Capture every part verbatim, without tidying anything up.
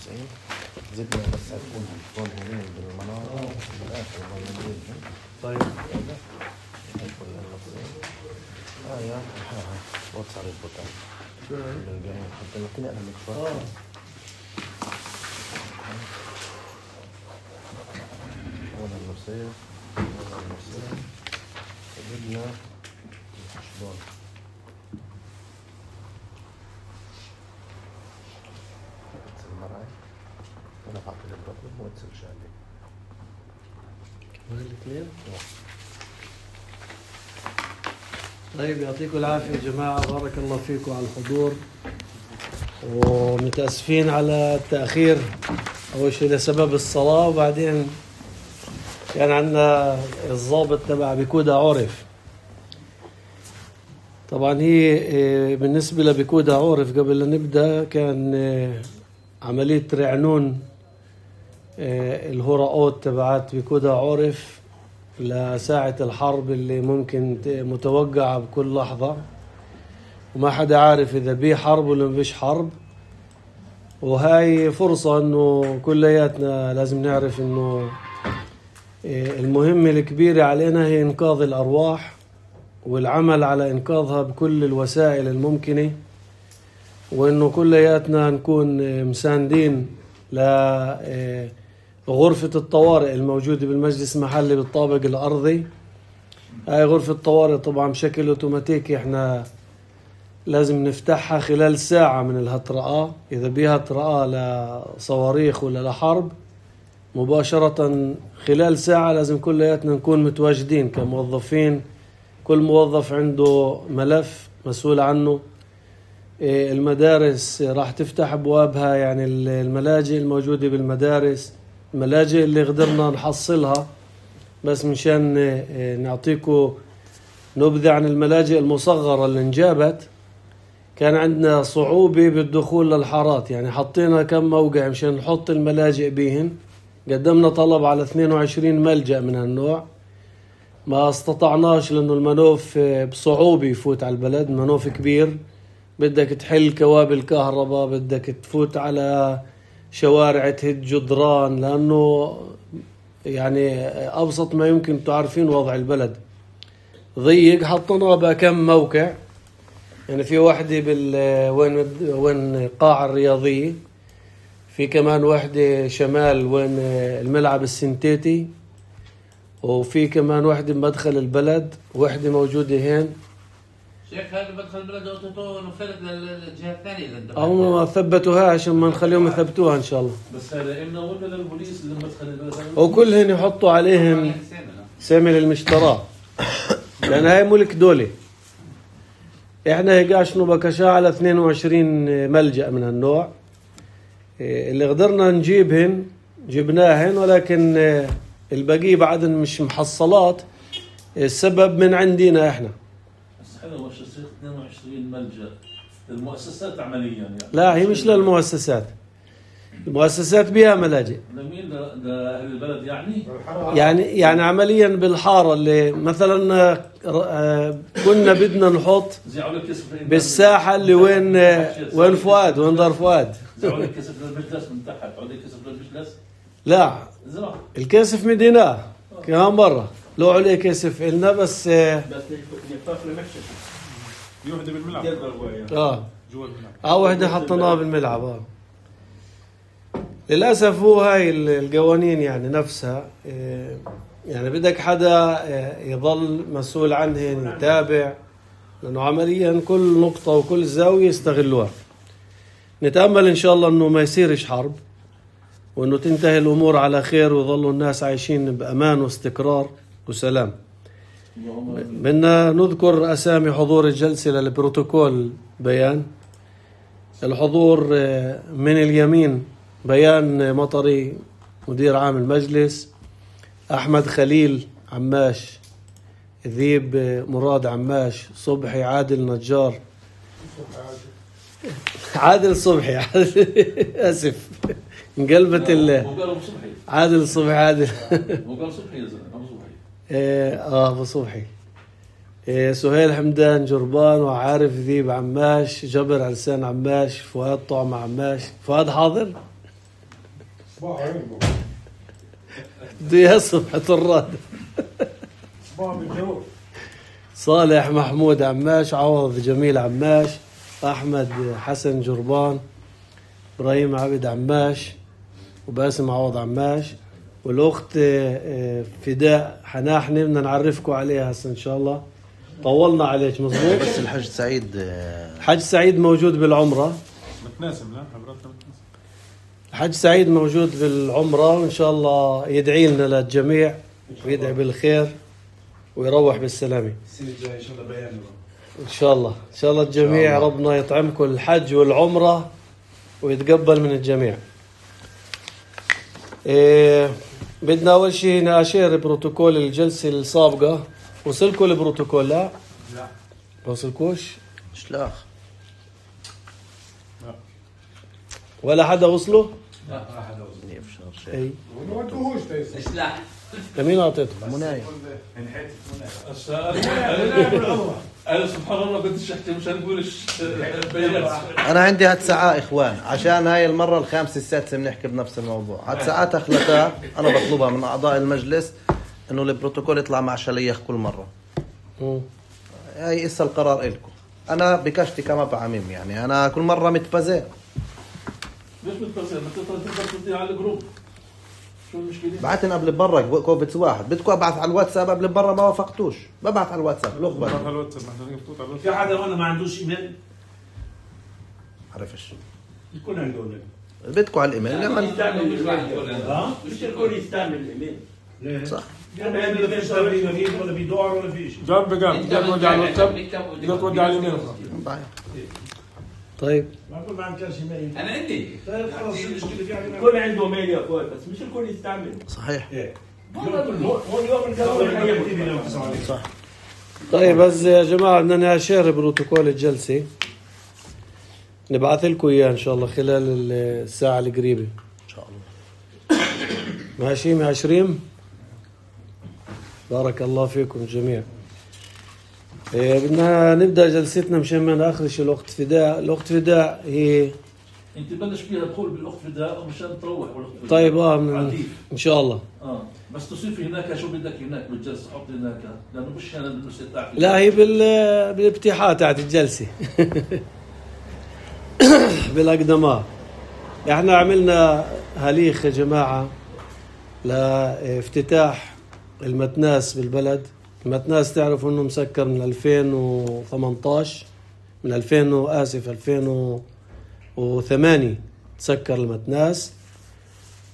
وتسعين. زدنا بس هتكون هون هون بالمنارة بالآخر بالمنزل. طيب اه يا ها ها وصل البوتان بالجاي حتى لو كنا أنا مكفر هون النصير هون النصير زدنا شلون المرأة أنا بعطي البطل مو تسلش عليه كمان الاثنين. طيب يعطيكم العافية يا جماعة، بارك الله فيكم على الحضور، ومتأسفين على التأخير. أول شيء لسبب الصلاة، وبعدين كان عندنا الضابط تبع بكودا عرف. طبعا هي بالنسبة لبكودا عرف قبل لا نبدأ كان عملية رعنون الهراءات تبعات بكودا عرف لساعة الحرب اللي ممكن متوقعة بكل لحظة، وما حدا عارف إذا بيه حرب ولا مفيش حرب. وهاي فرصة إنه كلياتنا لازم نعرف إنه المهمة الكبيرة علينا هي إنقاذ الأرواح والعمل على إنقاذها بكل الوسائل الممكنة، وإنه كلياتنا نكون مساندين ل غرفة الطوارئ الموجودة بالمجلس المحلي بالطابق الأرضي. هاي غرفة الطوارئ طبعا بشكل أوتوماتيكي احنا لازم نفتحها خلال ساعة من الهطرقة. إذا بيها هطرقة لصواريخ ولا لحرب مباشرة خلال ساعة لازم كلياتنا نكون متواجدين كموظفين. كل موظف عنده ملف مسؤول عنه. المدارس راح تفتح أبوابها، يعني الملاجئ الموجودة بالمدارس، الملاجئ اللي قدرنا نحصلها. بس مشان نعطيكم نبذة عن الملاجئ المصغرة اللي انجابت، كان عندنا صعوبة بالدخول للحارات، يعني حطينا كم موقع مشان نحط الملاجئ بيهن. قدمنا طلب على اثنين وعشرين ملجأ من هالنوع، ما استطعناش لأنه المنوف بصعوبة يفوت على البلد. منوف كبير، بدك تحل كوابل كهرباء، بدك تفوت على شوارع تهد جدران، لأنه يعني أبسط ما يمكن تعرفين وضع البلد ضيق. حطنا بقى كم موقع، يعني في واحدة بال وين وين قاعة الرياضية، في كمان واحدة شمال وين الملعب السنتيتي، وفي كمان واحدة بمدخل البلد، واحدة موجودة هين. شيخ هذا مدخل البلد اوتوتو نفلت للجهة الثانية. هم ما ثبتوها عشان ما نخليهم يثبتوها ان شاء الله. بس هذا إمنا ولا للبوليس اللي مدخل البلد؟ وكلهن يحطوا عليهم سامي للمشترى، لأن هاي ملك دولي. احنا هيقاشنوا بكشاء على اثنين وعشرين ملجأ من هالنوع اللي قدرنا نجيبهن جبناهن، ولكن البقية بعدن مش محصلات. السبب من عندنا احنا. بس حلو وش يصير اثنين وعشرين ملجأ المؤسسات عمليا يعني. لا هي مش للمؤسسات، المؤسسات بها ملاجئ. لمين؟ لأهل البلد يعني؟ يعني يعني عمليا بالحارة اللي مثلا كنا بدنا نحط بالساحة اللي وين وين فؤاد، وين دار فؤاد. زعوا لك كسف للمجلس من تحت، عودي كسف للمجلس؟ لا الكسف مدينة كمان برا، لو عليه كسف إلنا بس. بس يطاف لمحشش يوحدة بالملعب. اه اه وحدة حطناها بالملعب. اه للأسف هو هاي القوانين يعني نفسها، يعني بدك حدا يظل مسؤول عنهن يتابع، لأنه عمليا كل نقطة وكل زاوية يستغلوها. نتأمل إن شاء الله أنه ما يصيرش حرب، وأنه تنتهي الأمور على خير، ويظلوا الناس عايشين بأمان واستقرار وسلام. بدنا نذكر أسامي حضور الجلسة للبروتوكول. بيان الحضور من اليمين بيان مطري مدير عام المجلس، أحمد خليل عماش، ذيب مراد عماش، صبحي عادل نجار، عادل صبحي أسف انقلبت ال عادل صبحي عادل وقال صبحي يا زلمة أبو صبحي. اه أبو صبحي. سهيل حمدان جربان، وعارف ذيب عماش، جبر علسان عماش، فؤاد طعم عماش. فؤاد حاضر؟ صباح عينكم. بده يصبح طراد. صباح بالجنوب. صالح محمود عماش، عوض جميل عماش، أحمد حسن جربان، إبراهيم عبد عماش، وباسم عوض عماش، والأخت فداء حناحنة بدنا نعرفكم عليها هسه إن شاء الله. طولنا عليك مظبوط. بس الحج سعيد الحج سعيد موجود بالعمرة. متناسب لا حضرتك متناسب. الحج سعيد موجود بالعمرة، وإن شاء الله يدعي لنا للجميع ويدعي بالخير ويروح بالسلامة السنة الجاية إن شاء الله بيان. إن شاء الله إن شاء الله الجميع الله. ربنا يطعمكم الحج والعمرة ويتقبل من الجميع. إيه بدنا أول شيء نأشير بروتوكول الجلسة السابقة. وصلكم البروتوكول؟ لا لا وصلكوش؟ شلاخ ولا حدا وصله؟ لا ما حدا وصل. يفشر شيء. اي ما انتوهوش تيسر. اسلح لمين اعطيته؟ منايا. انحيت منايا. أنا سبحان الله بديش أحكي مشان نقولش بيانات. أنا عندي هاد ساعة إخوان عشان هاي المرة الخامسة السادسة بنحكي بنفس الموضوع. هاد ساعات أخلتها أنا بطلبها من أعضاء المجلس إنه البروتوكول يطلع مع شليخ كل مرة. مم. هاي إسا القرار إلكم. أنا بكشتي كما بعميم يعني أنا كل مرة متفزع. ليش بتفزع؟ ما تقدر تقدر تدي على الجروب. شو المشكلة؟ بعتن قبل برا كوفيدز واحد بدكم أبعث على الواتساب قبل برا ما وافقتوش ببعث على الواتساب الأخبار. ببعث على الواتساب محتاجين نفوت على في الواتساب. حدا هون ما عندوش إيميل؟ عرفش الكل عنده إيميل. بدكم على الإيميل لما يستعمل الإيميل. ها؟ مش الكل يستعمل الإيميل. ليه؟ صح. يعني ما فيش بريد ولا بيدور ولا في شيء. جنب بجنب تقدر تودي على الواتساب تقدر تودي على اليمين. طيب ما كل ما عندكش إيميل. انا عندي طيب خلاص المشكلة في يعني الكل عنده إيميل يا أخوي بس مش الكل يستعمل. صحيح. إيه. هون يوم القانون صح. طيب بس يا جماعة بدنا نأشير بروتوكول الجلسة، نبعث لكم إياه إن شاء الله خلال الساعة القريبة إن شاء الله. ماشي مع عشرين. بارك الله فيكم جميعا. إيه بدنا نبدأ جلستنا مشان ما نأخرش الأخت فداء. الأخت فداء هي أنت بلش فيها دخول بالأخت فداء مشان تروح والأخت فداء. طيب آه من عديد. إن شاء الله. آه بس تصير هناك شو بدك هناك بالجلسة حط هناك لأنه مش هنا بالمستطاع. لا هي بال بالافتتاح تاعت الجلسة بالأقدماء. احنا عملنا هليخ يا جماعة لافتتاح المتناس بالبلد. المتناس تعرفوا انه مسكر من ألفين وثمانية عشر من ألفين آسف ألفين وثمانية تسكر المتناس،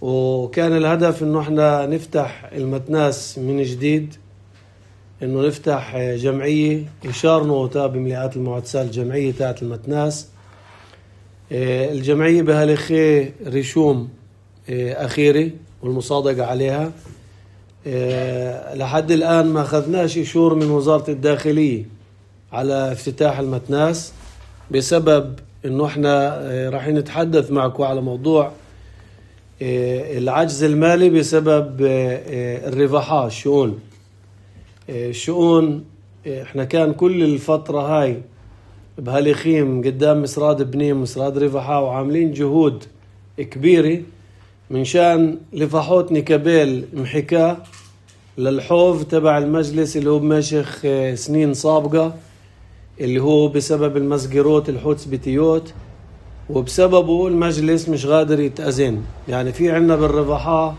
وكان الهدف انه احنا نفتح المتناس من جديد، انه نفتح جمعية يشار نوتا بمليئات المعتسال الجمعية تاعت المتناس. الجمعية بهالخي رشوم أخيرة والمصادقة عليها. لحد الآن ما أخذناش إشور من وزارة الداخلية على افتتاح المتناس بسبب إنه إحنا راح نتحدث معكم على موضوع العجز المالي بسبب الرفاحات الشؤون الشؤون. إحنا كان كل الفترة هاي بهالخيم قدام مسراد بنيم مسراد رفحة وعاملين جهود كبيرة من شان لفحوت نكابيل محكاة للحوض تبع المجلس اللي هو بمشيخ سنين سابقة، اللي هو بسبب المسجروت الحوت بتيوت، وبسببه المجلس مش قادر يتأذن. يعني في عنا بالرفحة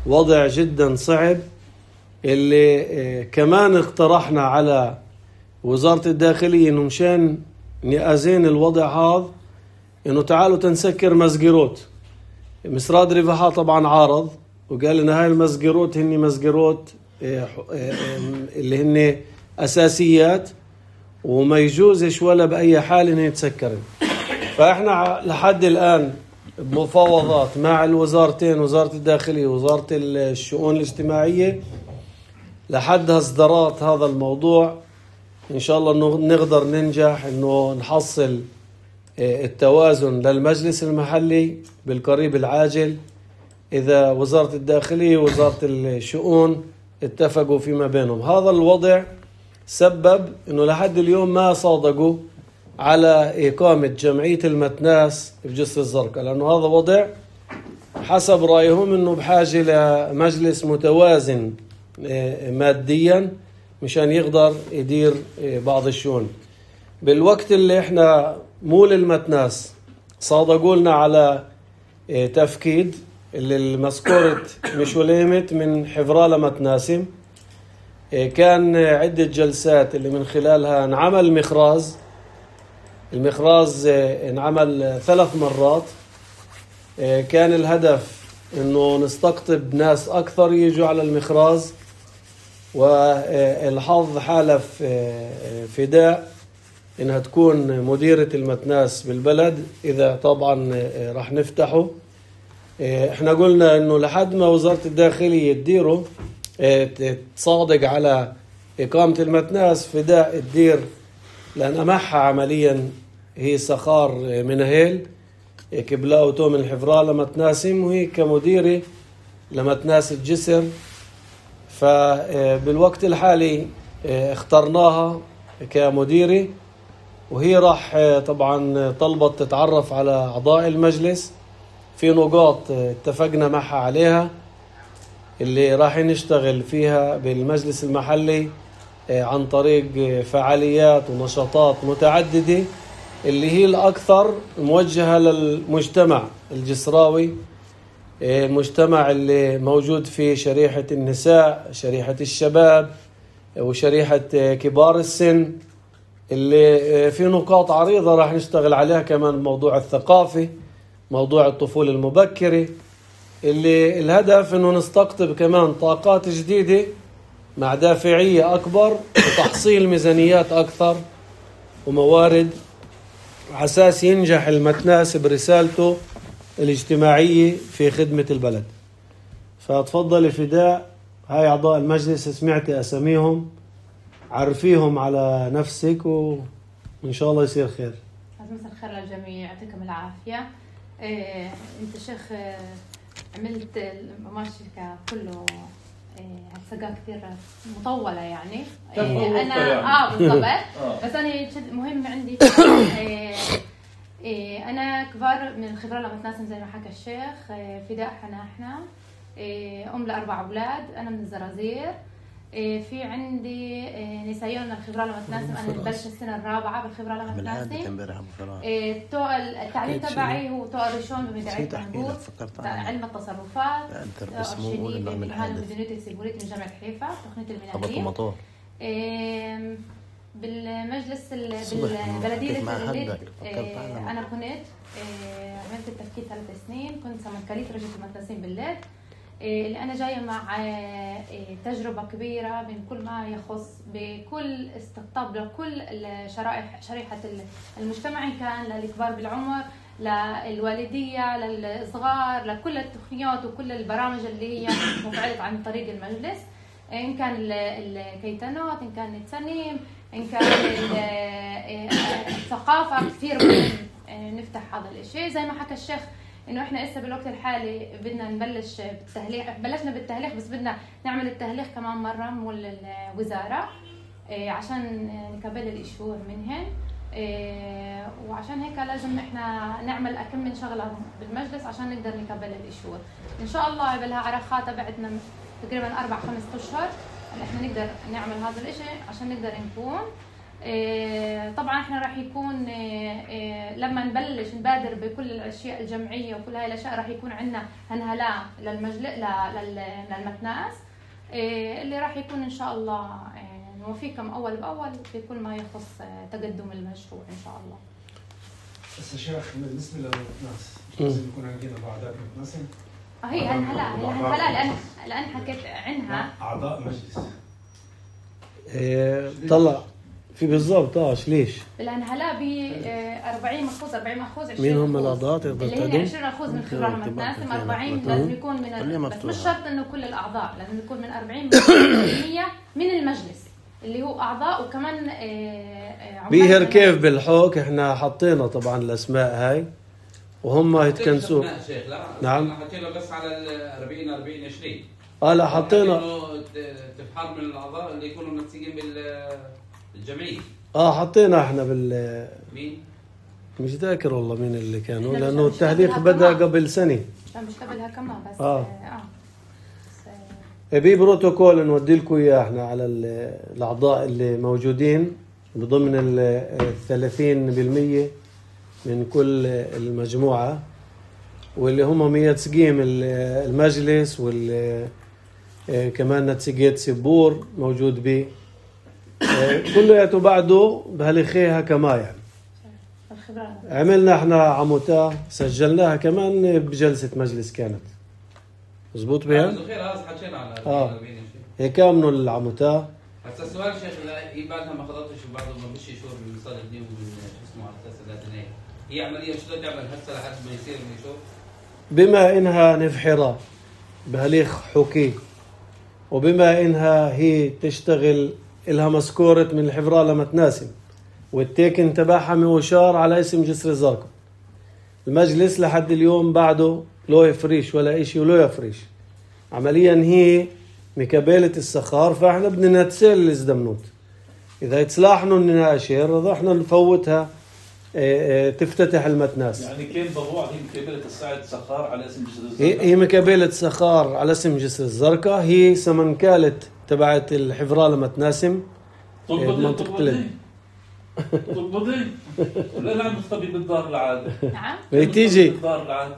وضع جدا صعب، اللي كمان اقترحنا على وزارة الداخلية انه مشان نأذن الوضع هذا انه تعالوا تنسكر مسجروت. مسراد رفحة طبعا عارض وقال لنا هاي المسجروت هني مسجروت اللي هن اساسيات وما يجوزش ولا باي حال انه يتسكرن. فاحنا لحد الان بمفاوضات مع الوزارتين، وزارة الداخلية ووزارة الشؤون الاجتماعية، لحد اصدارات هذا الموضوع إن شاء الله إنه نقدر ننجح إنه نحصل التوازن للمجلس المحلي بالقريب العاجل، إذا وزارة الداخلية ووزارة الشؤون اتفقوا فيما بينهم. هذا الوضع سبب إنه لحد اليوم ما صادقوا على إقامة جمعية المتناس بجسر الزرقاء، لأنه هذا وضع حسب رأيهم أنه بحاجة لمجلس متوازن ماديا مشان يقدر يدير بعض الشؤون. بالوقت اللي احنا مول المتناس صادقوا لنا على تفكيد اللي المسكورة مش وليمت من حفرالة متناسم، كان عدة جلسات اللي من خلالها انعمل مخراز. المخراز انعمل ثلاث مرات. كان الهدف انه نستقطب ناس اكثر يجوا على المخراز، والحظ حالف فداء انها تكون مديرة المتناس بالبلد اذا طبعا راح نفتحه. احنا قلنا انه لحد ما وزارة الداخلية تديره تصادق على اقامة المتناس، فداء تدير لان معها عمليا هي سخار من هيل كبلاء توم الحفرالة متناسم، وهي كمديرة لمتناس الجسر. فبالوقت الحالي اخترناها كمديرة، وهي راح طبعا طلبت تتعرف على أعضاء المجلس في نقاط اتفقنا معها عليها اللي راح نشتغل فيها بالمجلس المحلي عن طريق فعاليات ونشاطات متعددة اللي هي الأكثر موجهة للمجتمع الجسراوي، المجتمع اللي موجود فيه شريحة النساء، شريحة الشباب، وشريحة كبار السن، اللي في نقاط عريضة راح نشتغل عليها كمان. موضوع الثقافي، موضوع الطفولة المبكرة، اللي الهدف انه نستقطب كمان طاقات جديدة مع دافعية أكبر وتحصيل ميزانيات أكثر وموارد، عساس ينجح المتناس برسالته الاجتماعية في خدمة البلد. فتفضل فداء، هاي أعضاء المجلس سمعتي أساميهم، عرفيهم على نفسك وإن شاء الله يصير خير. مساء الخير للجميع، يعطيكم العافية. إيه، أنت شيخ إيه، عملت المماشي كله هالسقا كثير مطولة يعني. إيه أنا آه بالضبط. بس أنا مهم عندي إيه إيه أنا كبار من الخبرة لمتناسم زي ما حكى الشيخ. إيه فداء حنا إحنا إيه أم لأربع أولاد، أنا من الزرازير. إيه في عندي إيه نسايون من الخبرة لمتناسم، أنا بلش السنة الرابعة بالخبرة لمتناسم. إيه التعليم تبعي هو طوق الرشون بمدرعية بنغور، علم التصرفات، أرشيدي بمهن المدنية السيبورية من جامعة حيفا، تقنية المناهية. إيه بالمجلس بالبلدية التجليد إيه أنا كنت إيه عملت التفكير ثلاث سنين، كنت سمكالية رجل المتناسين بالليل. اللي أنا جاية مع تجربة كبيرة من كل ما يخص بكل استقطاب لكل الشرائح شريحة المجتمع، إن كان للكبار بالعمر، للوالدية، للصغار، لكل التقنيات وكل البرامج اللي هي مفعلة عن طريق المجلس، إن كان الكيتانات، إن كان التسنيم، إن كان الثقافة. كثير مهم نفتح هذا الشيء زي ما حكى الشيخ إنه إحنا إسا بالوقت الحالي بدنا نبلش بالتهليح. بلشنا بالتهليح بس بدنا نعمل التهليح كمان مرة مول الوزارة إيه عشان نكبل الإشهور منهن إيه، وعشان هيك لازم إحنا نعمل أكم من شغلة بالمجلس عشان نقدر نكبل الإشهور. إن شاء الله بالها عرخات بعدنا تقريبا أربع خمس أشهر إحنا نقدر نعمل هذا الإشي عشان نقدر نكون إيه. طبعا احنا راح يكون إيه إيه لما نبلش نبادر بكل الاشياء الجمعيه وكل هاي الاشياء راح يكون عندنا هنهلاء للمجلس للمتناس إيه اللي راح يكون ان شاء الله إيه نوفيكم اول باول في كل ما يخص تقدم المشروع ان شاء الله. بس يا شيخ بالنسبه للمتناس لازم يكون عندنا اعضاء متناسين. هي هنهلاء هنهلاء لان لان حكيت عنها اعضاء مجلس إيه طلع في بالضبط. اه ليش؟ الهنهلاء ب أربعين مخوز أربعين مخوز عشرين. مين هم الاعضاء اللي هن عشرين مخوز من خبرة متناسم، أربعين لازم يكون من بس مش شرط انه كل الاعضاء، لازم يكون من أربعين بالمية من المجلس اللي هو اعضاء وكمان بيهر. كيف بالحوك احنا حطينا طبعا الاسماء هاي وهم يتكنسوا. نعم حطينا بس على ال أربعين أربعين عشرين. اه لا حطينا تفحر من الاعضاء اللي يكونوا منسجين بالجمعيه. اه حطينا احنا بال مين؟ مش ذاكر والله مين اللي كانوا، لانه التهليك بدا قبل سنه. مش قبلها كمان بس آه. اه, آه. بس بي بروتوكول نودي لكم اياه احنا على الاعضاء اللي موجودين بضمن ال ثلاثين بالمية من كل المجموعه واللي هم مية تسقيم المجلس وال كمان نتسقيت سبور موجود به كلياته بعده بهالخيها كما يعني الخبرة. عملنا احنا عموتا سجلناها كمان بجلسه مجلس كانت مزبوط بها اه هيك كامنوا العموتا. هسا السؤال شيخ هي بعدها ما خضرتش وبعده ما فيش شهور من صار الدين ومن شو اسمه على اساس الثلاثينيه هي عمليه شو تعمل هسه لحد ما يصير من شهور بما انها نفحره بهاليخ حكي وبما انها هي تشتغل لها مسكورة من الحفرة لما تناسم والتيكن تبعها موشار على اسم جسر الزرقاء. المجلس لحد اليوم بعده لو يفريش ولا اشي ولو يفريش عمليا هي مكابلة السخار فاحنا بدنا نتسال الازدمنوت اذا يتصلاحنوا الناشر احنا نفوتها اه اه تفتتح المتناس. يعني كان بروع هي مكابلة الساعة سخار على اسم جسر الزرقاء. هي, هي مكابلة سخار على اسم جسر الزرقاء هي سمنكالة تبعت الحفرة لما تناسم منطقة تلد. تقبضي ولا لا مستبي بالدار العاد. نعم. بتيجي. بالدار العاد.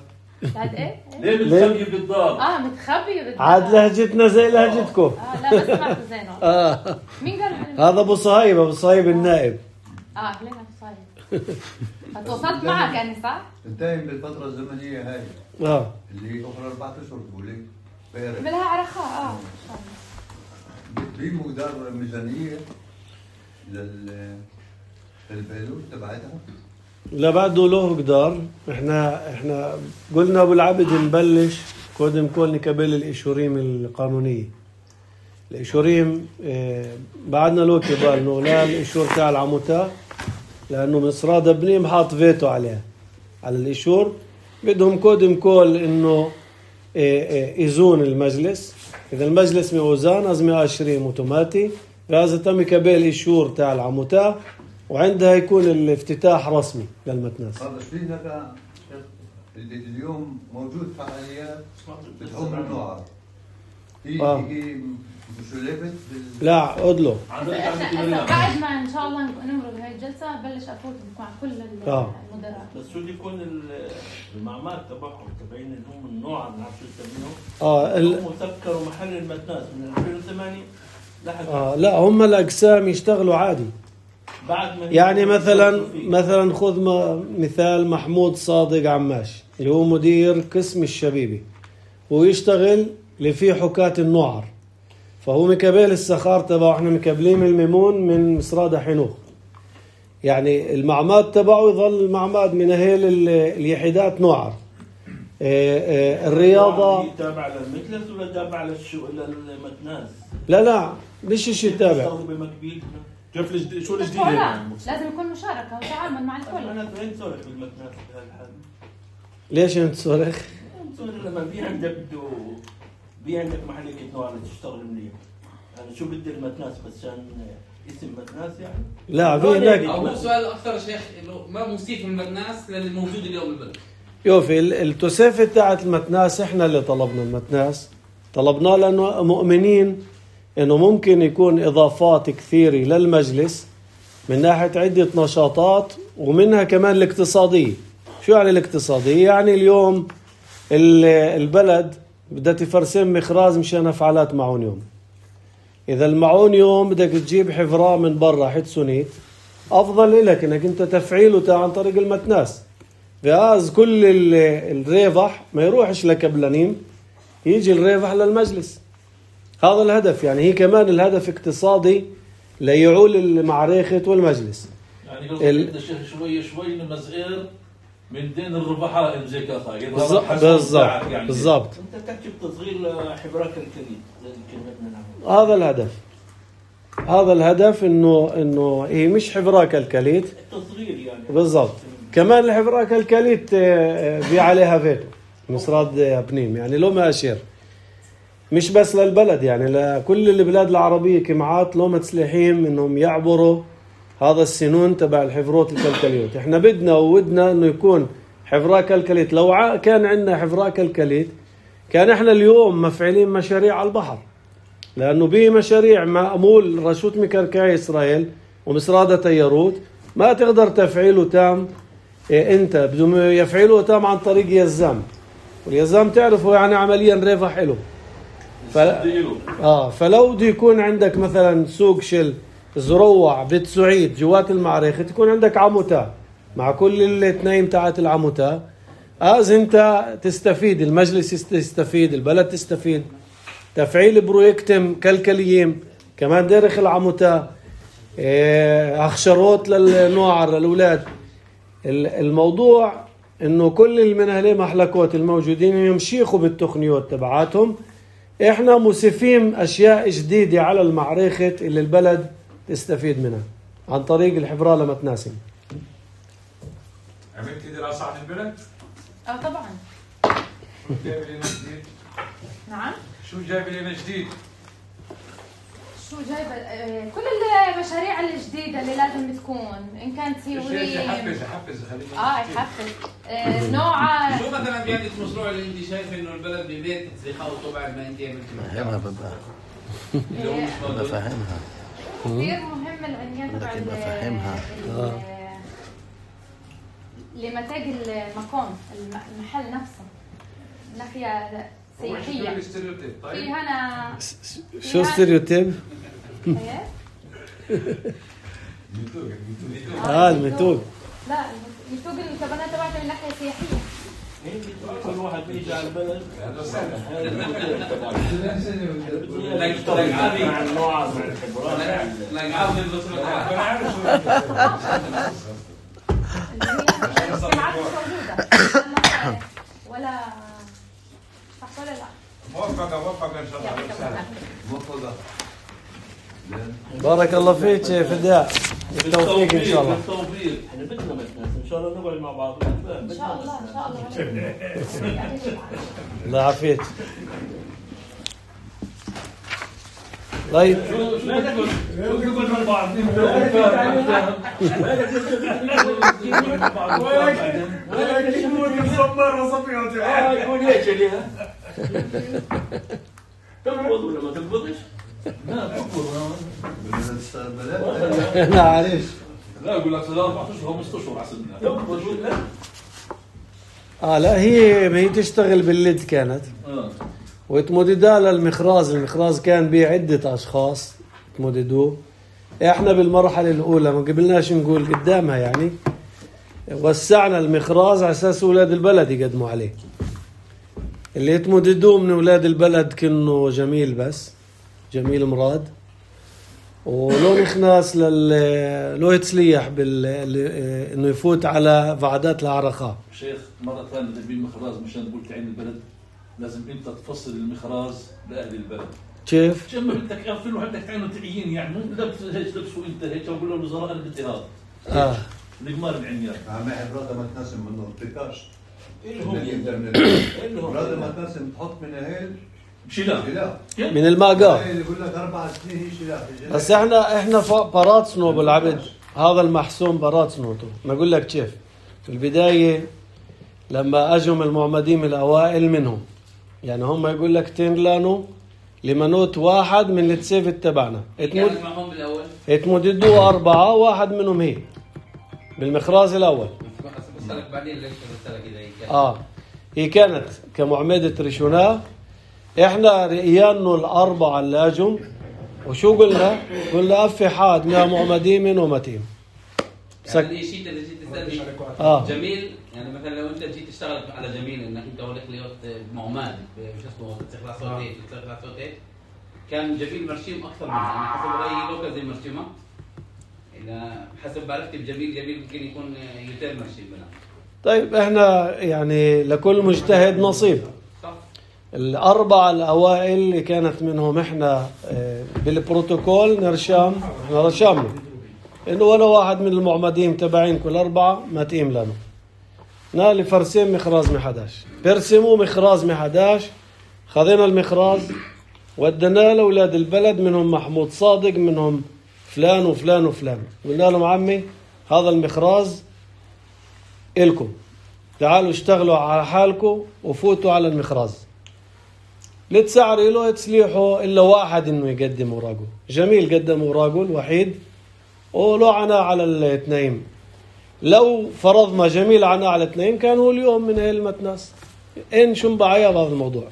عاد ايه؟ ليه متخبي بالدار؟ اه متخبي بالدار. عاد لهجتنا زي لهجتكم. اه لا ما سمعت زين والله. اه مين قال؟ هذا ابو صهيب ابو صهيب النائب. اه اهلين ابو صهيب. تواصلت معك يعني صح؟ انتهي من الفترة الزمنية هاي. اه اللي اخر أربعة اشهر تقولي. عملها على رخاء اه. في مقدار ميزانية لل للبيلوت تبعتها؟ لا بعده له قدار. احنا احنا قلنا ابو العبد نبلش قدم كل نكبل الاشوريم القانونيه. الاشوريم اه بعدنا له كبال نغلال الاشور تاع العموتا لانه مصراد ابنيم حاط فيتو عليها على الاشور بدهم قدم كل انه اه اه يزون المجلس. اذا المجلس موزان لازم ياشريم اوتوماتي لازم تم كبل الاشور تاع العموتا وعندها يكون الافتتاح رسمي للمتناس. هذا في لك اللي اليوم موجود فعاليات بتعم النوع في آه. يجي مشلبت بال لا ادلو بعد ما ان شاء الله نمرق هاي الجلسه بلش افوت مع كل آه. المدراء. بس شو يكون المعمار تبعهم تبعين اللي هم النوع ما بعرف شو يسمينه اه ال... هم سكروا محل المتناس من ألفين وثمانية لحد اه لا هم الاقسام يشتغلوا عادي. بعد ما يعني مثلا مثلا خذ مثال محمود صادق عماش اللي هو مدير قسم الشبيبي ويشتغل اللي فيه حكاة النوعر فهو مكبل السخار تبعه احنا مكبلين الميمون من مصرادة حنوخ يعني المعماد تبعه يظل معماد من اهل اليحيدات نوعر. اه اه الرياضة تابع للمثلث ولا تابع للشو للمتناس؟ لا لا مش شيء تابع. كيف الجديد شو الجديد لا لازم يكون مشاركه وتعامل مع الكل. انا وين صورك بالمتناس بهالحال؟ ليش انت صورخ؟ صورك لما في عندك بده في عندك محل نوع تشتغل منيح. انا شو بدي المتناس بس عشان اسم متناس يعني؟ لا في هناك هو سؤال اكثر شيخ انه ما موصيف المتناس للي موجود اليوم بالبلد. يوفي التوسيفة تاعت المتناس احنا اللي طلبنا المتناس طلبناه لانه مؤمنين انه ممكن يكون اضافات كثيرة للمجلس من ناحية عدة نشاطات ومنها كمان الاقتصادية. شو يعني الاقتصادية؟ يعني اليوم البلد بدها تفرسم مخراز مشان فعالات معون يوم. اذا المعون يوم بدك تجيب حفرة من برا حتسونيت افضل لك انك انت تفعيله عن طريق المتناس. فاز كل الريفح ما يروحش لكبلانين يجي الريفح للمجلس. هذا الهدف يعني هي كمان الهدف اقتصادي ليعول المعركة والمجلس. يعني قصدك الشيخ شوي شوي نمزقير من دين الربحاء زي كذا بالضبط يعني بالضبط. انت تحكي بتصغير حبراك الكريم زي كلمتنا. هذا الهدف هذا الهدف انه انه هي مش حبراك الكليت التصغير يعني بالضبط. كمان الحبراك الكليت في عليها فيتو مصراد بنيم يعني لو ما اشير مش بس للبلد يعني لكل البلاد العربية كمعات لو متسلحين انهم يعبروا هذا السنون تبع الحفروت الكلكليوت. احنا بدنا وودنا انه يكون حفراء كلكليت. لو ع- كان عندنا حفراء كلكليت كان احنا اليوم مفعلين مشاريع على البحر، لأنه به مشاريع مأمول رشوة مكركعي إسرائيل ومسرادة تياروت ما تقدر تفعيله تام. إيه انت بدهم يفعلوه تام عن طريق يزام، واليزام تعرفوا يعني عمليا ربح له. ف... آه فلو بده يكون عندك مثلا سوق شل زروع بيت سعيد جوات المعركة، تكون عندك عموتا مع كل الاثنين تاعت العموتا، از انت تستفيد، المجلس يستفيد، البلد تستفيد. تفعيل برويكتم كلكليين كمان داخل العموتا، إيه اخشروت للنوع للاولاد. الموضوع انه كل المنهلي محلكوت الموجودين يمشيخوا بالتقنيات تبعاتهم، احنا مسفين اشياء جديدة على المعركة اللي البلد تستفيد منها عن طريق الحفراء لمتناسم. عملت دراسة عن البلد؟ اه طبعا. شو جايب لنا جديد؟ نعم. شو جايب لنا جديد؟ شو جايبه آه، كل المشاريع الجديده اللي لازم تكون، ان كانت سيوريه حفز حفز خلينا اه يحفز آه، نوع. شو مثلا بيعني المشروع اللي انت شايف انه البلد ببيت تخوته بعد ما انت عملتي فهمها ببقى آه، بفهمها كثير مهم العنوان تبع لكن ال- بفهمها. ال- لمتاج المكان الم- المحل نفسه ناحيه سياحيه. في هنا شو ستيريوتيب؟ ايه؟ اه الميتوج. لا الميتوج الكبانات تبعته من ناحيه سياحيه. كل واحد بيجي على البلد مع النوع مع الخبرات لا عاوز البصمه انا عارف شو الاجتماعات مش موجوده ولا صح ولا لا؟ موفقه موفقه ان شاء الله. يعطيك العافية. موفقة. بارك الله فيك فداء، بالتوفيق ان شاء الله. بالتوفيق. احنا بدنا متناس ان شاء الله نقعد مع بعض ونتفاهم. ان شاء الله ان شاء الله. الله يعافيك. طيب لا تقول نقول مع بعض. يكون هيك ليها تقبض ولا ما تقبضش؟ لا تقبض. بدنا تشتغل بلد. معلش. لا اقول لك اربع اشهر خمس اشهر احسن منها. تقبض ولا؟ اه لا هي هي تشتغل بالليد كانت اه وتمددها للمخراز. المخراز كان بيه عدة اشخاص تمددوه. احنا بالمرحلة الاولى ما قبلناش نقول قدامها يعني وسعنا المخراز على اساس اولاد البلد يقدموا عليه. اللي يتمددوه من اولاد البلد كانوا جميل، بس جميل مراد ولو نخناس لل لو يتسليح بال انه يفوت على فعدات العرقاء. شيخ مرة ثانية تبي المخراز مشان تقول تعين البلد لازم انت تفصل المخراز لاهل البلد. كيف؟ عشان ما بدك يغفلوا عندك تعينوا تعيين يعني مو لبس هيك لبسوا انت هيك وقول له الوزراء انا بدي هذا. اه القمار العنيان. عم حفرات ما تناسب منه ارتكاش. اللي هم الانترنت. اللي هم مرات ما تناسب تحط من هيل شيلها. شلاء. من الماقار. اللي يقول لك اربع سنين هي شلاء. بس احنا احنا براتسنو بالعبد هذا المحسوم براتسنوته. ما اقول لك كيف في البداية لما اجوا المعمدين الاوائل منهم يعني هم يقول لك تنلانو لمنوت واحد من التسيف تبعنا كانت معهم بالاول اتمددوا أربعة، واحد منهم هي بالمخراز الأول. بسألك بعدين ليش بسألك إذا هي كانت آه هي كانت كمعمدة ريشونا. إحنا رئيانو الأربعة اللي أجوا وشو قلنا؟ قلنا أفي حاد مع معمدين من ومتيم. يعني الشيء اللي جيت تسألني آه. جميل يعني مثلا لو أنت جيت تشتغل على جميل إنك أنت ولك ليوت معمد شو اسمه تستخلص صوتي تستخلص صوتي كان جميل مرشيم أكثر منها. أنا حسب رأيي لوكا زي مرشيمة إذا حسب بعرفتي بجميل جميل ممكن يكون يوتيل مرشيم منها. طيب إحنا يعني لكل مجتهد نصيب. صح. الأربعة الأوائل اللي كانت منهم إحنا بالبروتوكول نرشام إحنا رشامنا إنه ولا واحد من المعمدين تبعين كل أربعة ما تقيم لنا. نالي فرسين مخراز محداش برسموا مخراز محداش. خذينا المخراز ودنا لأولاد البلد منهم محمود صادق منهم فلان وفلان وفلان. قلنا لهم عمي هذا المخراز إلكم تعالوا اشتغلوا على حالكم وفوتوا على المخراز. لتسعر له تسليحه إلا واحد إنه يقدم أوراقه. جميل قدم أوراقه الوحيد ولو عنا على الاثنين. لو فرضنا جميل عنا على الاثنين كانوا اليوم من المتناس. إن شو مبعيا بهذا الموضوع.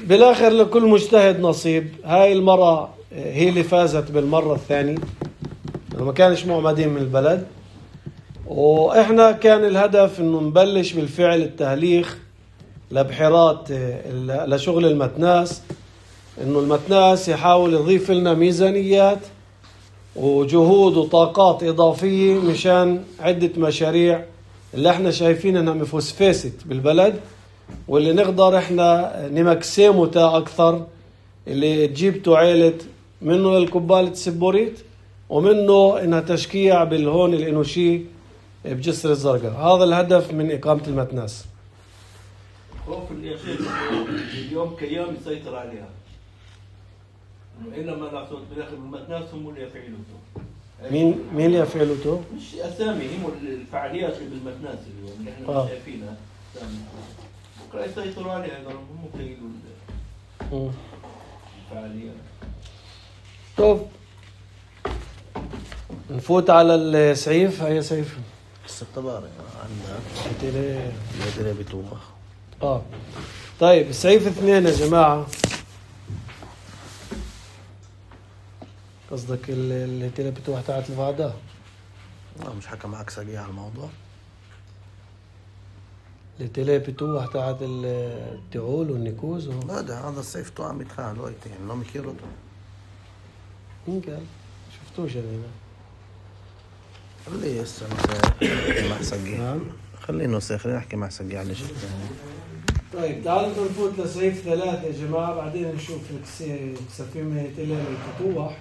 بالآخر لكل مجتهد نصيب. هاي المرة هي اللي فازت بالمرة الثانية. ما كانش معمدين من البلد. وإحنا كان الهدف إنه نبلش بالفعل التهليخ لبحيرات لشغل المتناس، إنه المتناس يحاول يضيف لنا ميزانيات وجهود وطاقات إضافية مشان عدة مشاريع اللي إحنا شايفين إنها مفسفست بالبلد، واللي نقدر إحنا نمكسموتا أكثر، اللي تجيب توعيلة منه الكبالة السبوريت ومنه إنها تشكيع بالهون الإنوشي بجسر الزرقاء. هذا الهدف من إقامة المتناس. خوف يا شيخ اليوم كيام يسيطر عليها. إنما نعطوه بالآخر المتناس هم اللي يفعلوه. مين مين اللي يفعلوه؟ مش أسامي، هم الفعاليات اللي بالمتناس اليوم اللي إحنا آه. شايفينها. بكرة يسيطروا عليها هم يقولوا الفعاليات. طب نفوت على السعيف. هيا سعيف السبتباري عندنا تيلي تيلي بتوه. اه طيب السعيف اثنين يا جماعة. قصدك اللي تيلي بتوه تاعت الفادا؟ لا مش حكى معك ساقية على الموضوع. اللي تيلي بتوه تاعت التعول والنكوز و... لا ده هذا السيف تو عم يتخان وقتين ما مكيرته. مين قال؟ شفتوش أنا. خليه هسه نحكي مع سقي. نعم. خليه نوسخ خلينا نحكي مع سقي على شيء. طيب تعالوا نفوت لسعيف ثلاثة يا جماعة، بعدين نشوف الكسفين تيلي الفتوح.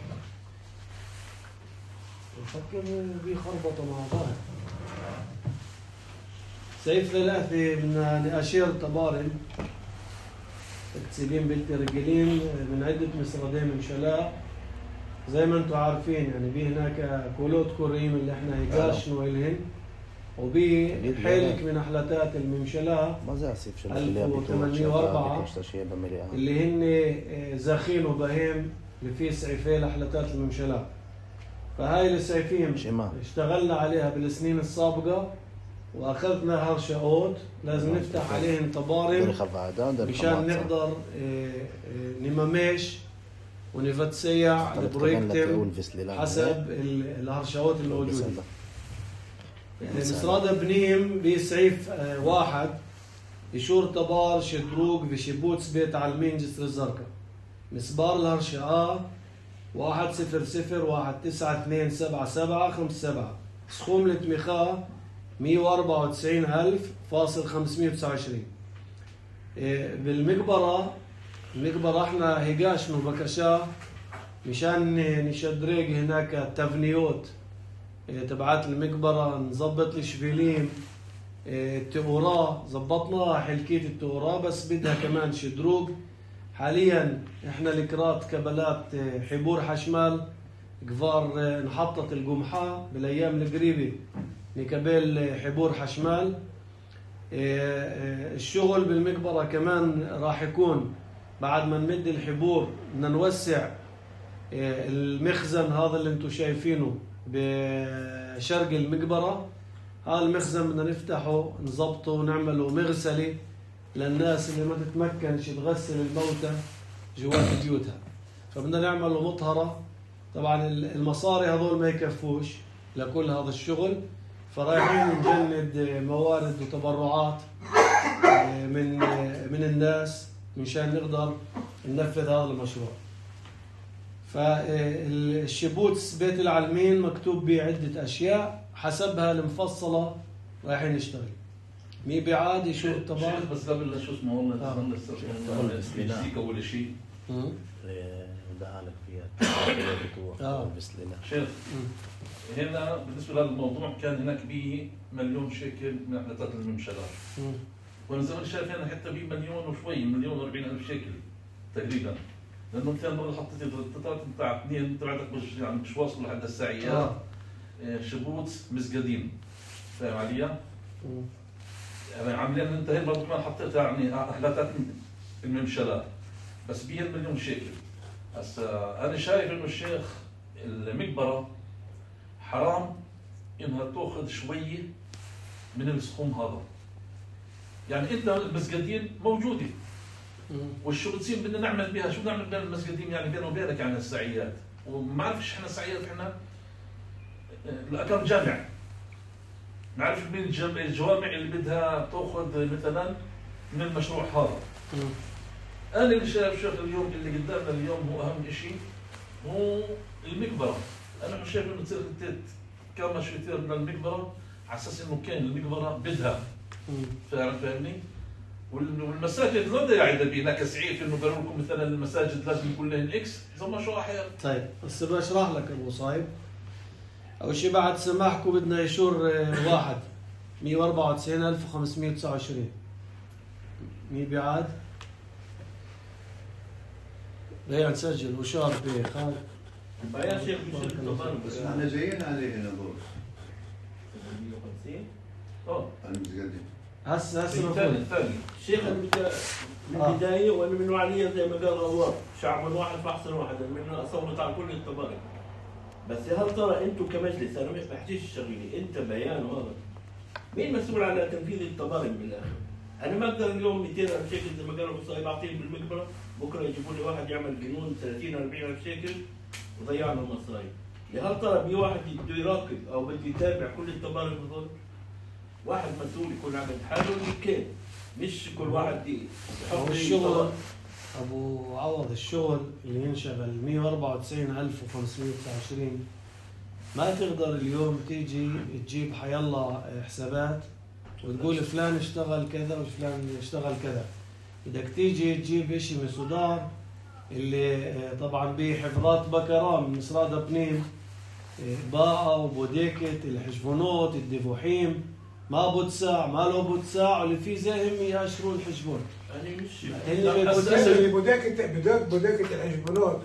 نفكر بيخربطوا مع بعض. سعيف ثلاثة من نأشير طبارم تكسبين بالترجلين من عدة مصردين من شلاء. زي ما انتم عارفين يعني بي هناك كولوت كوريم اللي احنا هيقاشنوا إلهن، وبي حلك من أحلتات الممشلاء ألف وثمانمائة وأربعة اللي هن زاخين وبهيم اللي فيه سعيفين لأحلتات الممشلاء. فهاي السعيفين اشتغلنا عليها بالسنين السابقة وأخذنا هرشاوت لازم نفتح عليهم طبارم مشان نقدر نممش ونفتسيع البرويكتم حسب الهرشاوت الموجودة. مصرادة بنيم بسعيف واحد يشور طبار شدروق بشبوتس بيت علمين جسر الزرقاء. مسبار الهرشاء واحد صفر صفر واحد تسعة اثنين سبعة سبعة خمسة سبعة. سخوم التمخاء مية وأربعة وتسعين ألف فاصل خمسمائة وتسعة وعشرين. بالمقبرة المقبرة احنا هيقاشنو بكشا مشان نشدريق هناك تفنيوت تبعات المقبرة، نظبط الشفيلين التوراه زبطناها حلكية التوراه بس بدها كمان شدروق. حاليا احنا لكرات كبلات حبور حشمال قفار نحطت القمحة بالايام القريبة نكبل حبور حشمال. الشغل بالمقبرة كمان راح يكون بعد ما نمد الحبور بدنا نوسع المخزن هذا اللي انتم شايفينه بشرق المقبرة. هذا المخزن بدنا نفتحه نظبطه ونعمله مغسلة للناس اللي ما تتمكنش تغسل الموتى جوات بيوتها، فبدنا نعمله مطهرة. طبعا المصاري هذول ما يكفوش لكل هذا الشغل، فرايحين نجند موارد وتبرعات من من الناس مشان نقدر ننفذ هذا المشروع. فالشبوتس بيت العلمين مكتوب بعدة أشياء حسبها المفصلة رايحين نشتغل. مي بعاد يشوف الطباع بس قبل شو اسمه والله نسيك أول شيء بدها لك فيها اه شيخ هنا بالنسبة لهذا الموضوع كان هناك به مليون شيكل من أحلتات الممشلات، وانا زي ما شايف هنا حتى بيه مليون وشوي مليون وأربعين ألف شيكل تقريبا، لأنه أنت مرة حطيت التطارات بتاع اثنين تبعتك مش يعني مش واصل لحد الساعية. آه. شبوت مسقدين فاهم علي؟ يعني عاملين انت هي برضه كمان حطيتها يعني احلاتات الممشلات بس بيه مليون شيكل. هسا انا شايف انه الشيخ المقبره حرام انها تاخذ شويه من السخوم هذا. يعني انت المسجدين موجوده والشغلتين بدنا نعمل بها، شو نعمل بين المسجدين يعني بينه وبينك يعني السعيات، وما نعرفش احنا السعيات احنا كم جامع، نعرف مين الجوامع اللي بدها تاخذ مثلا من المشروع هذا. انا اللي شايف شيخ اليوم اللي قدامنا اليوم هو اهم شيء هو المقبره. انا شايف انه تصير كم شويتين من المقبره على اساس انه كان المقبره بدها فعلا فاهمني. والمساجد لا داعي بينا كسعيف انه قالوا لكم مثلا المساجد لازم يكون لهم اكس زي ما شو احيانا. طيب بس بشرح لك ابو صايب. اول شيء بعد سماحكم بدنا يشور واحد مية وأربعة وتسعين ألف وخمسمية وتسعة وعشرين مين بيعاد؟ بيع نسجل وشار بخالد يا شيخ بس احنا جايين عليه هنا بوس مية وخمسين اه المسجدين هسه هسه الثاني الثاني شيخ انت من البدايه وانا من نوعيه زي ما قال غوار شعب واحد فاحسن واحد من اصوت على كل الطبائع. بس هل ترى انتم كمجلس انا مش بحكيش الشغيلي انت بيان هذا مين مسؤول على تنفيذ الطبائع بالاخر؟ انا ما اقدر اليوم مئتين ألف شيكل زي ما قالوا صايب اعطيه بالمقبره بكره يجيبوا لي واحد يعمل جنون ثلاثين أربعين ألف شيكل وضيعنا المصايب. هل ترى بي واحد بده يراقب او بده يتابع كل الطبائع هذول؟ واحد مسؤول يكون عامل حاله كيف مش كل واحد يحط الشغل ابو عوض. الشغل اللي ينشغل مية وأربعة وتسعين ألف وخمسمية وتسعة وعشرين ما تقدر اليوم تيجي تجيب حيالله حسابات وتقول فلان اشتغل كذا وفلان اشتغل كذا. بدك تيجي تجيب اشي من السودان اللي طبعا به حفظات بكرة من سرادة بنيم باقة وبوديكت الحجبونات الدفوحيم ما بوتساع ما له بوتساع واللي فيه زيهم ياشروا الحجبون. أنا مش اللي بوداكة بداك بوداكة الحجبونات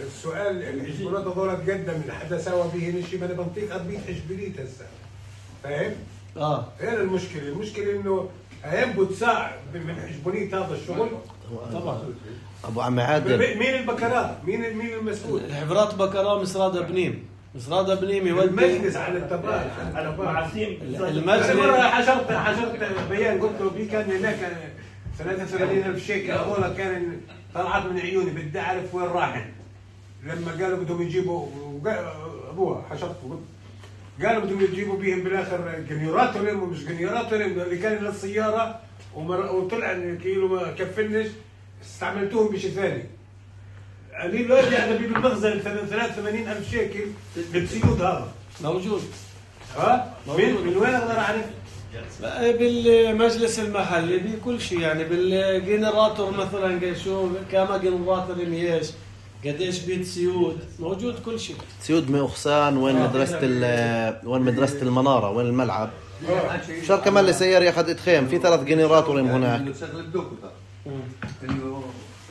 السؤال الحجبونات هذول تقدم لحدا سوى به شيء ما انا بنطيق أربعين حجبليت هسه فاهم؟ اه هنا المشكلة، المشكلة إنه أيام بوتساع من حجبونيت هذا الشغل طبعا. ابو عم عادل مين البكرات؟ مين مين المسؤول؟ الحفرات بكرة مسرادة بنيم مسرادة بنيم يودي المجلس على التبال انا مع سيم المجلس. مرة حشرت حشرت بيان قلت له بي كان هناك ثلاثة وثمانين ألف شيكل هذول كان طلعت من عيوني بدي أعرف وين راحن. لما قالوا بدهم يجيبوا أبوها حشرته قالوا بدهم يجيبوا بيهم بالآخر جنيراتورين ومش جنيراتورين اللي كان للسيارة وطلع كيلو ما كفنش استعملتوهم بشيء ثاني. قالوا له اجي انا بجيب المخزن ثلاثة وثمانين ألف شيكل بالسيود هذا موجود. ها؟ من من وين اقدر اعرف؟ بالمجلس المحلي بكل شيء يعني بالجنراتور مثلا شو كم جنراتور ايش قديش بيت سيود موجود كل شيء. سيود مؤخسان وين مدرسة وين مدرسة المنارة وين الملعب. شار كمان لسيارة ياخذ خيم في ثلاث جنراتور هناك. انه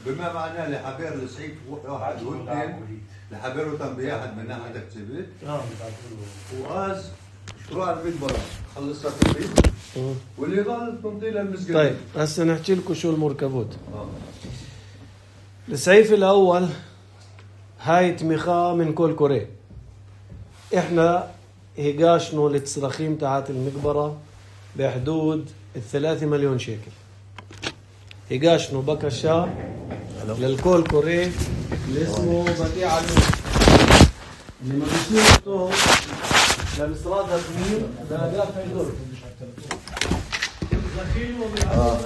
بما معناه لحبير السعيد واحد واثنين لحبير وتم بياحد من ناحية تكتبت وغاز شروع المقبرة خلصت البيت واللي ضل تنطيل المسجد. طيب هسه نحكي لكم شو المركبات. السعيف الأول هاي تميخا من كل كوري. احنا هيقاشنو للتصرخيم تاعت المقبرة بحدود الثلاثة مليون شيكل. هيقاشنو بكشا للكل كوري اللي اسمه بديع علي اللي ما بيصيروا للمسراد الزميل ده دافع دور آه.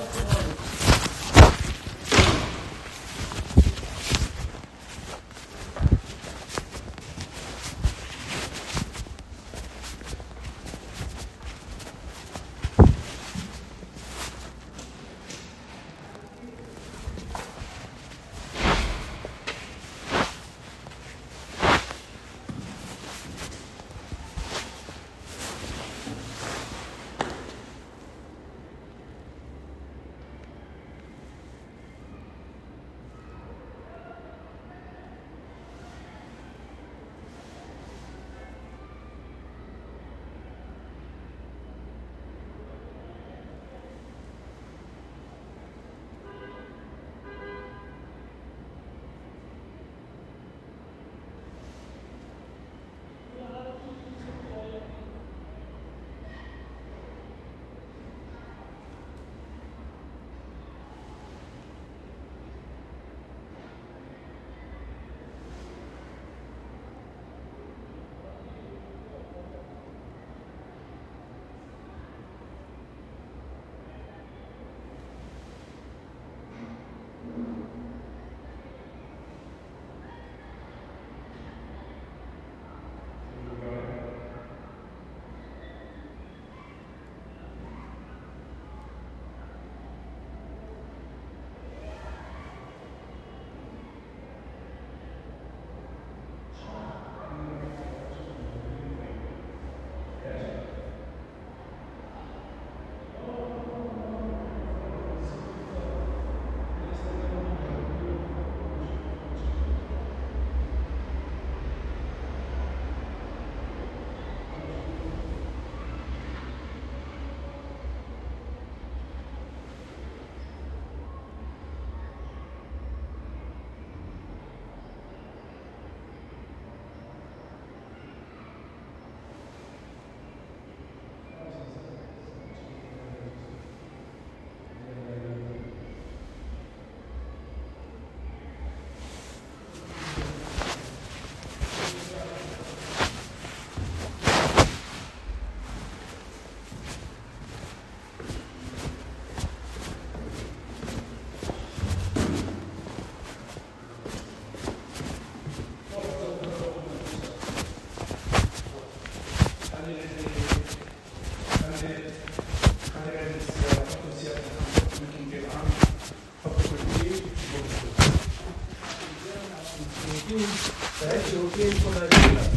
روتين كل هالشغلات.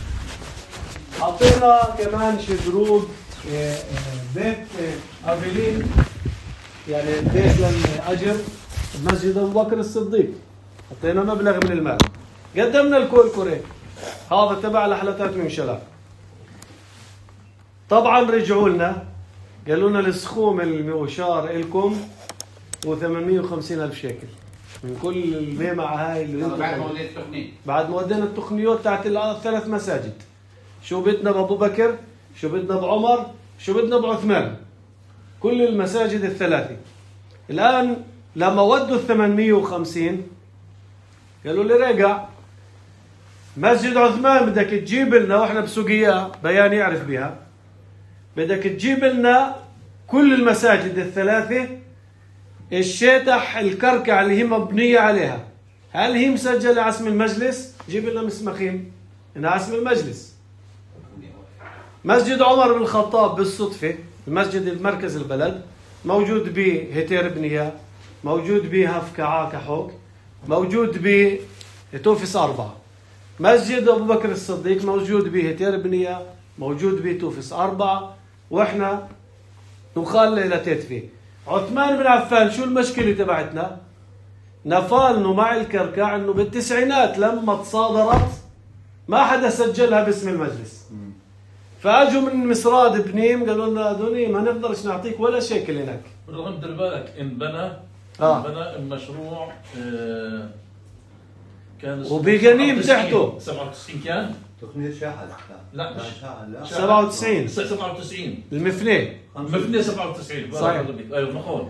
حطينا كمان شدروج بيت افيلين، يعني بيت للاجر بمسجد ابو بكر الصديق، حطينا مبلغ من المال. قدمنا الكول كوري هذا تبع لحلتات ممشلات. طبعا رجعوا لنا قالوا لنا السخوم المؤشار لكم وثمانمية وخمسين ألف شيكل من كل الميمعة هاي اللي انتم بعد ما وديت التقنية بعد ما ودينا التقنيات تاعت الثلاث مساجد. شو بدنا بأبو بكر، شو بدنا بعمر، شو بدنا بعثمان، كل المساجد الثلاثة. الآن لما ودوا الثمانمية وخمسين قالوا لي رجع مسجد عثمان بدك تجيب لنا، واحنا بسوقيا بيان يعرف بها، بدك تجيب لنا كل المساجد الثلاثة الشيتح الكركع اللي هي مبنية عليها، هل هي مسجلة على اسم المجلس؟ جيب لنا مسمخين انها اسم المجلس. مسجد عمر بن الخطاب بالصدفة المسجد المركز البلد موجود به هتير بنية، موجود به هفكعا كحوك، موجود به توفس أربعة. مسجد أبو بكر الصديق موجود به هتير بنية، موجود به توفس أربعة، وإحنا نخال إلى تتفي. عثمان بن عفان شو المشكلة تبعتنا؟ نفالنا مع الكركع إنه بالتسعينات لما تصادرت ما حدا سجلها باسم المجلس. فاجوا من مصراد بنيم قالوا لنا دوني ما نقدرش نعطيك ولا شيكل هناك. بالرغم دير بالك انبنى آه. انبنى المشروع آه كان وبغنيم تحته سبعة وتسعين كان تقنية شاحل. لا مش شاحل لا سبعة وتسعين سبعة وتسعين المفني مفني سبعة وتسعين صحيح. ايوه نقول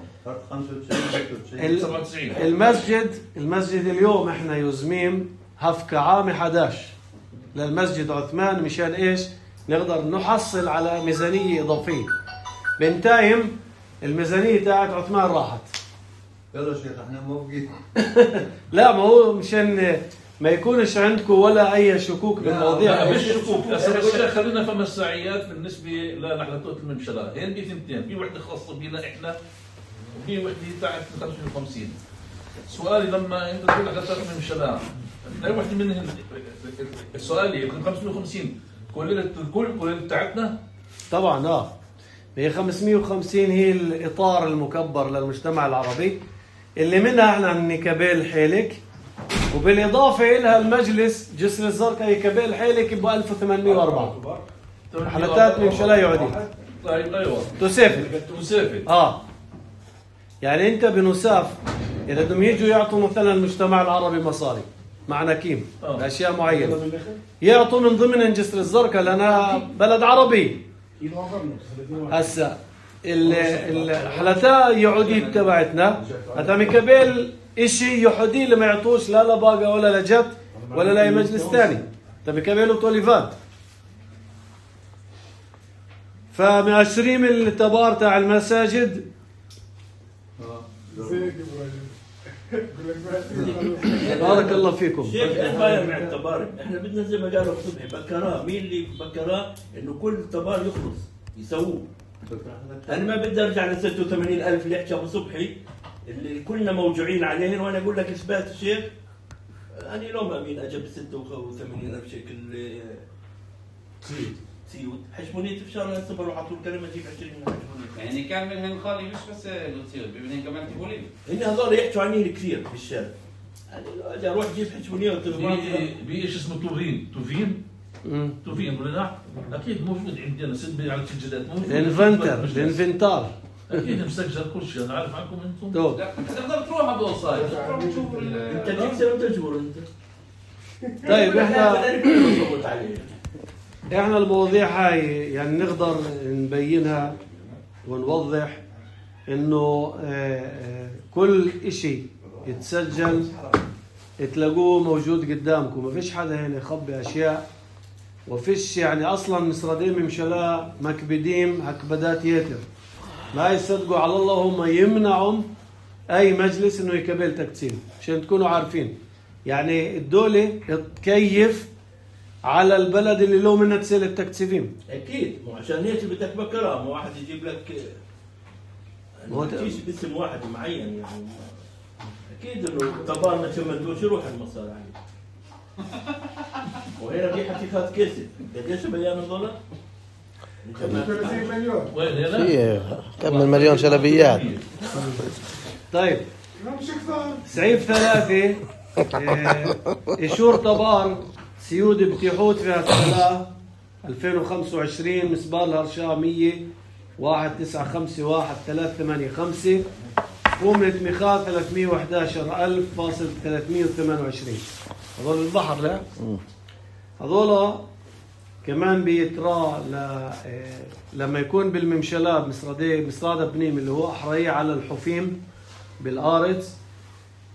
خمسة وتسعين سبعة وتسعين. المسجد المسجد اليوم احنا يزميم هفكة عام أحد عشر للمسجد عثمان مشان ايش؟ نقدر نحصل على ميزانية إضافية. بنتايم الميزانية تاعت عثمان راحت. يلا شيخ احنا موافقين. لا ما هو مشان ما يكونش عندكم ولا أي شكوك بالمواضيع. لا مش شكوك الشيخ، خلينا في مساعيات بالنسبة لنحلتوت الممشلة. هين في ثنتين، في وحدة خاصة بينا احنا وفي وحدة تاعت خمسمية وخمسين. سؤالي لما انت تقول نحلتوت الممشلة اي وحدة منهم سؤالي خمسمية وخمسين كل الكل كل بتاعتنا طبعا اه هي خمسمية وخمسين هي الإطار المكبر للمجتمع العربي اللي منها احنا نكابيل حيلك، وبالإضافة إلها المجلس جسر الزرقاء يكابيل حيلك ب ألف وثمانمية وأربعة حلتات ممشلة يعودي. طيب ايوه تسافر تسافر اه يعني انت بنساف اذا بدهم يجوا يعطوا مثلا المجتمع العربي مصاري مع نكيم باشياء معينه يعطوا من ضمن جسر الزرقاء لانها بلد عربي. هسا الحلتاء يعودي تبعتنا هذا مكبل اشي يحودي لما يعطوش لا لباقه ولا لجت ولا لاي مجلس ثاني، تبي كبيلو توليفات. فمعشرين التبار تاع المساجد بارك الله فيكم. شيخ احنا مع التبار، احنا بدنا زي ما قالوا صبحي بكراه، مين اللي بكراه انه كل تبار يخلص يسووه. انا ما بدي ارجع ل ستة وثمانين ألف اللي حكى ابو صبحي اللي كلنا موجوعين عليهن، وانا اقول لك اثبات الشيخ انا لو ما امين اجى ب ستة وثمانين ألف شكل سيوت سيوت حشمونيت في شهر السبر وحطوا الكلمه تجيب عشرين حشمونيت. يعني كان منهم خالي مش بس لوتسيوت بدهم كمان تبولين. هن هذول يحكوا عنين كثير في الشارع. يعني اجى اروح اجيب حشمونيت بايش اسمه توفين توفين توفين ولا لا؟ اكيد موجود عندنا سد على السجلات موجود. الانفنتر الانفنتار اكيد مسجل كل شيء. انا عارف عنكم انتم. لا تقدر تروح ابو صاير تروح تشوف انت تكسر وانت تجبر انت. طيب احنا احنا المواضيع هاي يعني نقدر نبينها ونوضح انه كل اشي يتسجل تلاقوه موجود قدامكم، ما فيش حدا هنا يخبي اشياء، وفيش يعني اصلا مصردين ممشلا مكبدين هكبدات يتر ما يصدقوا على الله، هم يمنعوا اي مجلس انه يكبل تقسيم عشان تكونوا عارفين. يعني الدولة تكيف على البلد اللي له منها تسيل التكتيفين. اكيد مو عشان هيك بدك بكره، مو واحد يجيب لك ما تجيش باسم واحد معين يعني. اكيد انه طبعا ما تمدوش يروح المصاري عليه. وهنا في حقيقات كسب قديش بيان الدولار؟ ثلاثين مليون. وين هنا؟ في كم من مليون شلبيات. طيب لا مش كثار. سعيف ثلاثة آه، إشور طبار سيود بتيحوت في هالسنة ألفين وخمسة وعشرين مسبار الهرشاة مية واحد تسعة خمسة واحد ثلاثة ثمانية خمسة قومة مخاض ثلاثمية وأحد عشر ألف فاصل ثلاثمية وثمانية وعشرين. هذول البحر لا هذول كمان بيترى ل... آه، لما يكون بالممشلات مصرادة مصرادة بنيم اللي هو أحرية على الحفيم بالأرض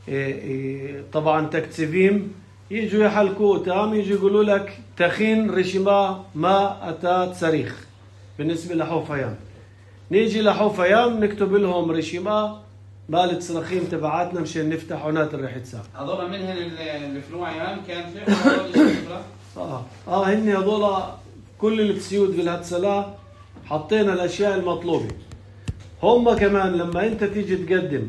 إيه إيه طبعا تكتسبيم يجوا يحلقوا تام يجوا يقولوا لك تخين رشما ما أتات صريخ بالنسبة لحوفيان. نيجي لحوفيان نكتب لهم رشما مالت صراخيم تبعاتنا مشان نفتح عنات الريحة ساق. هذول منهن الفلو عيان كان شيء اه اه هن هذول كل السيود بالهتسلا حطينا الاشياء المطلوبه. هم كمان لما انت تيجي تقدم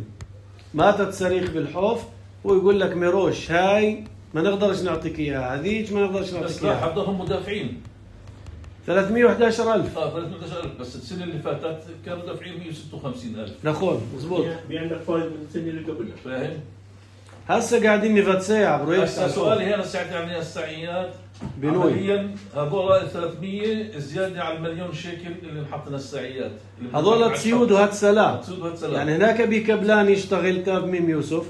ماتت صريخ بالحوف ويقول لك ميروش هاي ما نقدرش نعطيك اياها هذيك ما نقدرش نعطيك بس لا اياها. حضرهم مدافعين ثلاثمية وأحد عشر ألف اه ثلاثمية وأحد عشر ألف بس السنه اللي فاتت كانوا دافعين مية وستة وخمسين ألف. نخون مزبوط. بيعندك فايد من السنه اللي قبلها. فاهم؟ هسه قاعدين نفتسيع برويكت هسه سؤالي هنا ساعتها يعني السعيات بنوي. عمليا هذول ثلاثمية زياده على المليون شيكل اللي انحطنا السعيات. هذول تسيود وهتسلا تسيود وهتسلا. يعني هناك بكبلان يشتغل تاب ميم يوسف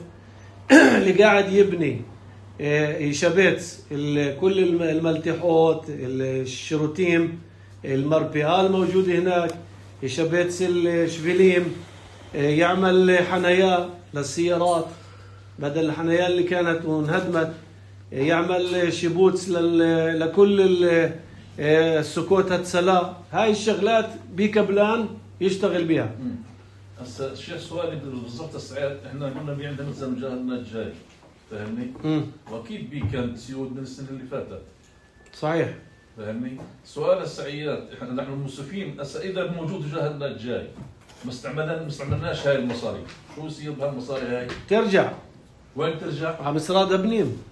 اللي قاعد يبني يشبت كل الملتحوت الشروتيم المربيال موجودة هناك يشبت الشفليم يعمل حنايا للسيارات بدل الحنايا اللي كانت وانهدمت يعمل شبوتس لكل السكوت هتسلا. هاي الشغلات بكبلان يشتغل بها. هسه الشيخ سؤالي بالضبط السعيات احنا قلنا بي عندنا مثلا جهلنا الجاي فاهمني؟ واكيد بي كان سيود من السنه اللي فاتت. صحيح. فاهمني؟ سؤال السعيات احنا نحن الموسفين هسه اذا موجود جهلنا الجاي ما استعملنا ما استعملناش هاي المصاري، شو يصير بهالمصاري هاي؟ ترجع. وين ترجع؟ على مصراد بنيم.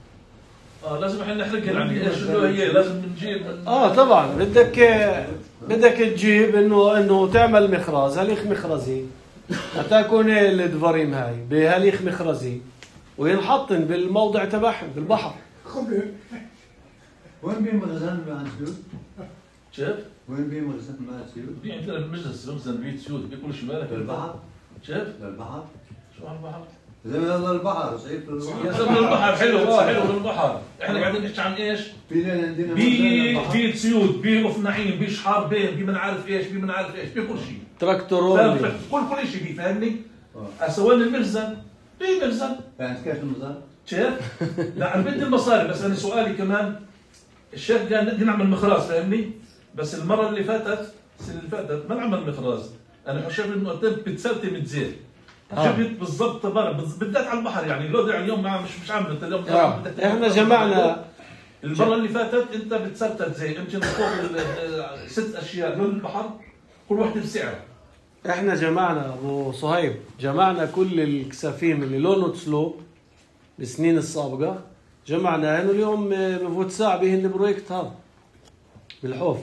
اه لازم احنا نحرقها يعني ايش اللي هي لازم نجيب من... اه طبعا بدك بدك تجيب انه انه تعمل مخراز هليخ مخرزي هتكون الدفاريم هاي بهليخ مخرزي وينحطن بالموضع تبعهم بالبحر. خبر وين بي مخزن مع سيود؟ شايف؟ وين بي مخزن مع سيود؟ في عندنا المجلس مخزن بيت سيود بكل شمالك للبحر؟ شايف؟ للبحر؟ شو على البحر؟ زي ما يلا البحر صيف يا زلمه البحر حلو حلو البحر احنا قاعدين نحكي عن ايش؟ في عندنا بي بي سيود بي رف نعيم بي شحار بيه بي من عارف ايش بي من عارف ايش بي كل شيء تراكتورون كل كل شيء بي فاهمني؟ هسه وين المخزن؟ بي مخزن يعني كيف المخزن؟ شايف؟ لا انا بدي المصاري بس انا سؤالي كمان الشيخ قال بدي نعمل مخراز فاهمني؟ بس المره اللي فاتت السنه اللي فاتت ما نعمل مخراز انا شايف انه بتسلتم تزيد جبت بالضبط تبارك بالذات على البحر يعني لو اليوم مش مش عامل انت اليوم احنا جمعنا المره اللي فاتت انت بتسرتت زي يمكن فوق ست اشياء لون البحر كل واحده بسعر. احنا جمعنا ابو صهيب جمعنا كل الكسافيم اللي لونه تسلو بالسنين السابقه جمعناهن اليوم بفوت ساعه بهن البروجكت هذا بالحوف.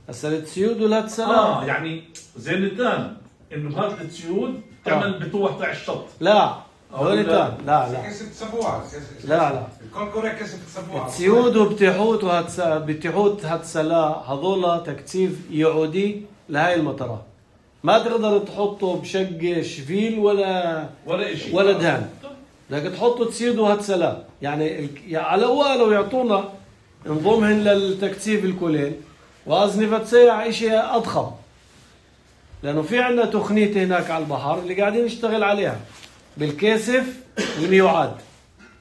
هسه التسيود ولا تسلام اه يعني زي التان انه هذا التسيود تعمل بطوح تاع الشط. لا هوليتان لا لا كسب سبوعة لا لا الكونكوريا كسب سبوعة السيود وبتيحوت وهتس بتيحوت هتسلا هذول تكتيف يعودي لهاي المطرات ما تقدر تحطه بشق شفيل ولا ولا شيء ولا دهان بدك تحطه تسيود وهتسلا يعني على اول يعطونا نظمهن للتكتيف الكلين وازنفت سيع شيء اضخم لانه في عندنا تخنيت هناك على البحر اللي قاعدين نشتغل عليها بالكاسف الميوعاد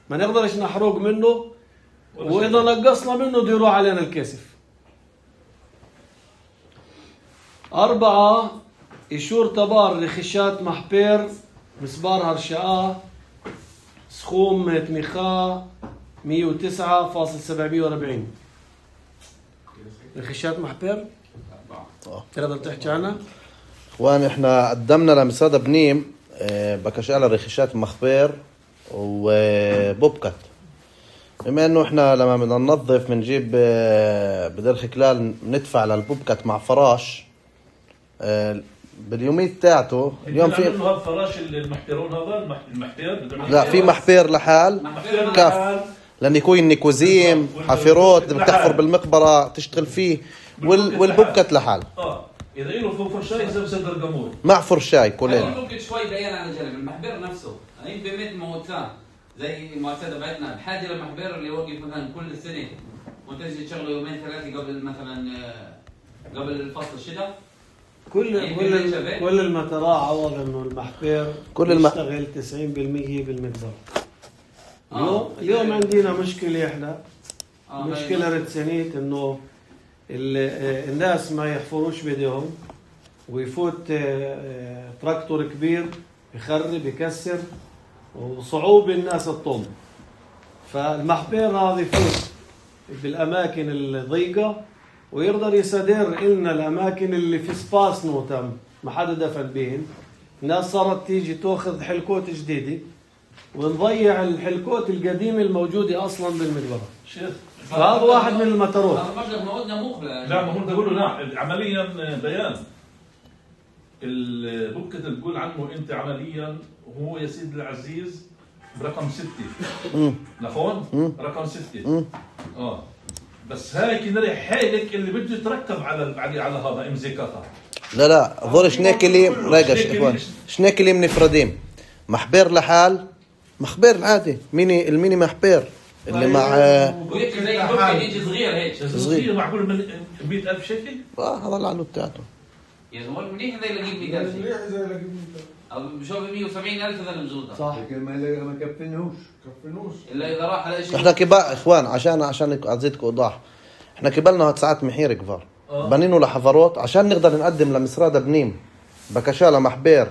ما نقدرش نحرق منه واذا نقصنا منه بده يروح علينا الكاسف. أربعة إشور تبار رخيشات محبير مسبار هرشاء سخوم تميخا مية وتسعة فاصل سبعمية وأربعين رخيشات محبير تقدر تحكي عنها؟ اخوان احنا قدمنا لمصادة بنيم بكشاله رخيشات مخبير وبوبكت بما انه احنا لما بدنا ننظف بنجيب بدرخ كلال ندفع للبوبكت مع فراش باليوميت تاعته. اليوم في هذا الفراش المحترون هذا المحتير. لا في محبير لحال كف لان يكون نيكوزيم حفيروت اللي بتحفر بالمقبره تشتغل فيه وال... والبوبكت لحال. اه اذا له فرشاي اذا بصدر قمور مع فرشاي كلين. ممكن شوي بيان على جنب المحبر نفسه. انا يمكن مثل ما هو كان زي المؤسسه تبعتنا بحاجه للمحبر اللي يوقف مثلا كل سنه وتجي تشغله يومين ثلاثه قبل مثلا قبل فصل الشتاء. كل كل كل المتراء عوض انه المحبر كل الم... يشتغل تسعين بالمية بالمقدار. اليوم آه. اليوم عندنا مشكله احنا آه مشكله رتسانيت انه الناس ما يحفروش بدهم ويفوت تراكتور كبير يخرب يكسر وصعوبة الناس الطم. فالمحبير هذا يفوت بالأماكن الضيقة ويقدر يصدر إلنا الأماكن اللي في سباس نوتم ما حدا دفن بهن. الناس صارت تيجي تأخذ حلكوت جديدة ونضيع الحلكوت القديمة الموجودة أصلا بالمدبرة. فهذا واحد من المطارات. هذا مبلغ موعدنا مقبل. لا ما هو بدي اقول له لا عمليا بيان البوكت اللي بتقول عنه انت عمليا هو يا سيدي العزيز برقم ستة لفون رقم ستة اه بس هاي كنري حالك اللي بده يتركب على على على هذا امزيكاتها. لا لا هذول شنيكلي راجع اخوان شنيكلي منفردين محبير لحال مخبير العادي ميني الميني محبير اللي مع وهيك زي بوكت يجي صغير هيك صغير معقول من مئة ألف شكل. اه هذا اللي عنه بتاعته يا زلمه منيح زي اللي يجيب مئة ألف منيح زي اللي يجيب او بشوف مئة وسبعين ألف هذا المزود صح لكن ما ما كفنوش كفنوش الا اذا راح على شيء. احنا كبار اخوان عشان عشان ازيدكم ايضاح احنا كبلنا ساعات محير كبار بنينه لحفروت عشان نقدر نقدم لمسرادة بنيم بكشاله محبير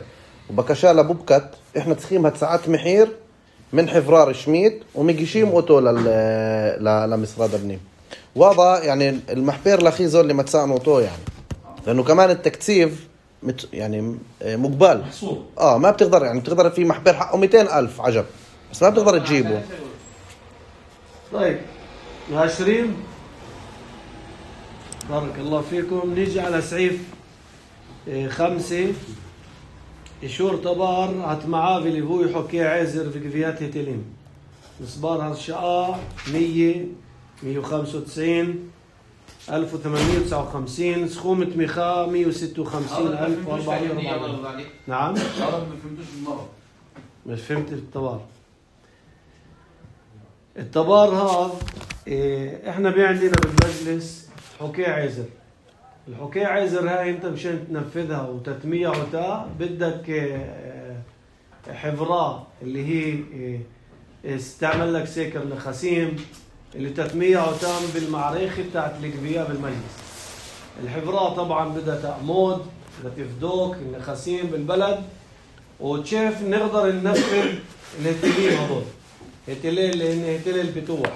وبكشاله بوبكت. احنا تسخيم ساعات محير من حفرار شميت ومجيشيم اوتو لل لمسرادة بنيم. وهذا يعني المحبير الاخير اللي ما تساعدوا اوتو يعني لانه كمان التكثيف مت يعني مقبل اه ما بتقدر يعني بتقدر في محبر حقه مئتين ألف عجب بس ما بتقدر تجيبه. طيب عشرين بارك الله فيكم. نيجي على سعيف خمسة إشور طبار هتمعافي اللي هو يحكي عازر في كفيات هتلين مصبار هالشقاء مية مية وخمسة وتسعين ألف وثمانمية وتسعة وخمسين سخومة ميخا مية وستة وخمسين ألف وأربعمية وأربعين. نعم ما فهمتوش بالمرة مش فهمت الطبار. الطبار هذا إيه احنا بي عندنا بالمجلس حكاية عازر. الحكاية عازر هاي انت مشان تنفذها وتتميع وتا بدك إيه حفرة اللي هي إيه استعمل لك سيكر نخاسيم اللي تتميع وتام بالمعريخ بتاعت الكبية بالمجلس. الحفرة طبعا بدها تأمود بدها تفدوك النخاسيم بالبلد وتشاف نقدر ننفذ الهتلين هذول هتلين لأن هتلين البتوح.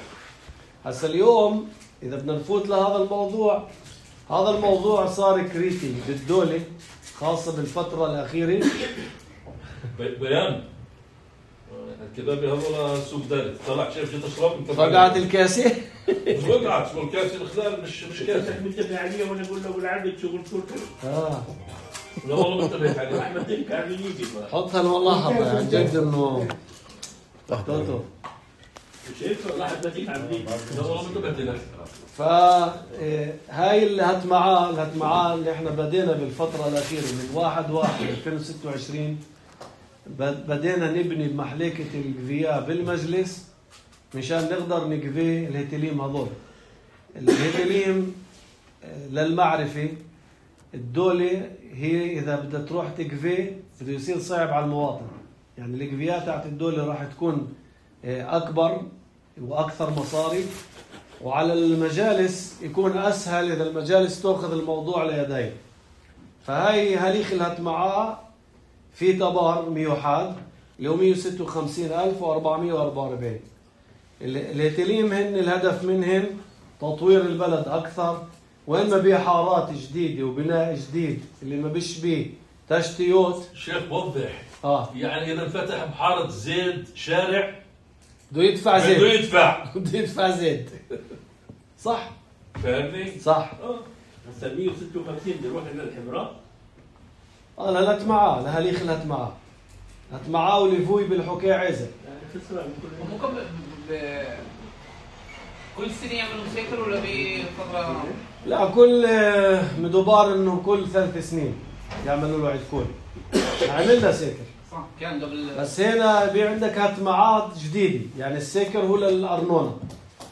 هسا اليوم إذا بدنا نفوت لهذا الموضوع هذا الموضوع صار كريتي بالدولة خاصة بالفترة الأخيرة. بيان الكبابي هذول سوق داري طلع شايف شو تشرب انت فقعت الكاسة مش وقعت شو الكاسة الخلال مش مش كاسة منتبه عليه وانا اقول له بالعبد شغل كله اه لا والله منتبه عليه احمد تلك عم يجي حطها والله حطها عن جد انه توتو شايف راح تجيك عم يجي لا والله منتبه لك. فهاي اللي هات معاه اللي هات معاه اللي احنا بدينا بالفترة الأخيرة من واحد واحد ألفين وستة وعشرين بدينا نبني بمحلكة القفياء بالمجلس مشان نقدر نقفي الهتليم هذول. الهتليم للمعرفة الدولة هي إذا بدها تروح تقفي بده يصير صعب على المواطن. يعني القفياء تاعت الدولة راح تكون أكبر وأكثر مصاريف وعلى المجالس يكون أسهل إذا المجالس تأخذ الموضوع ليدين. فهاي هاليخ اللي هات معاه في طبار ميوحاد اللي هو مية وستة وخمسين ألف وأربعمية وأربعة وأربعين. الهتليم هن الهدف منهن تطوير البلد أكثر وين ما بيه حارات جديدة وبناء جديد اللي ما بيش بيه تشتيوت. شيخ وضح آه. يعني إذا انفتح بحارة زيد شارع بده يدفع زيت بده يدفع بده يدفع زيت صح فاهمني؟ صح هسه مية وستة وخمسين بده يروح للحمراء. اه لهلت معاه لهليخ لهت معاه لهت معاه وليفوي بالحكاية عزة يعني خسران كل ممكن ب... كل سنة يعملوا سيكل ولا بفترة؟ لا كل مدوبار انه كل ثلاث سنين يعملوا له عدكون عملنا سيكر صح كان قبل بس هنا بي عندك هتمعات جديدة يعني السيكر هو للأرنونة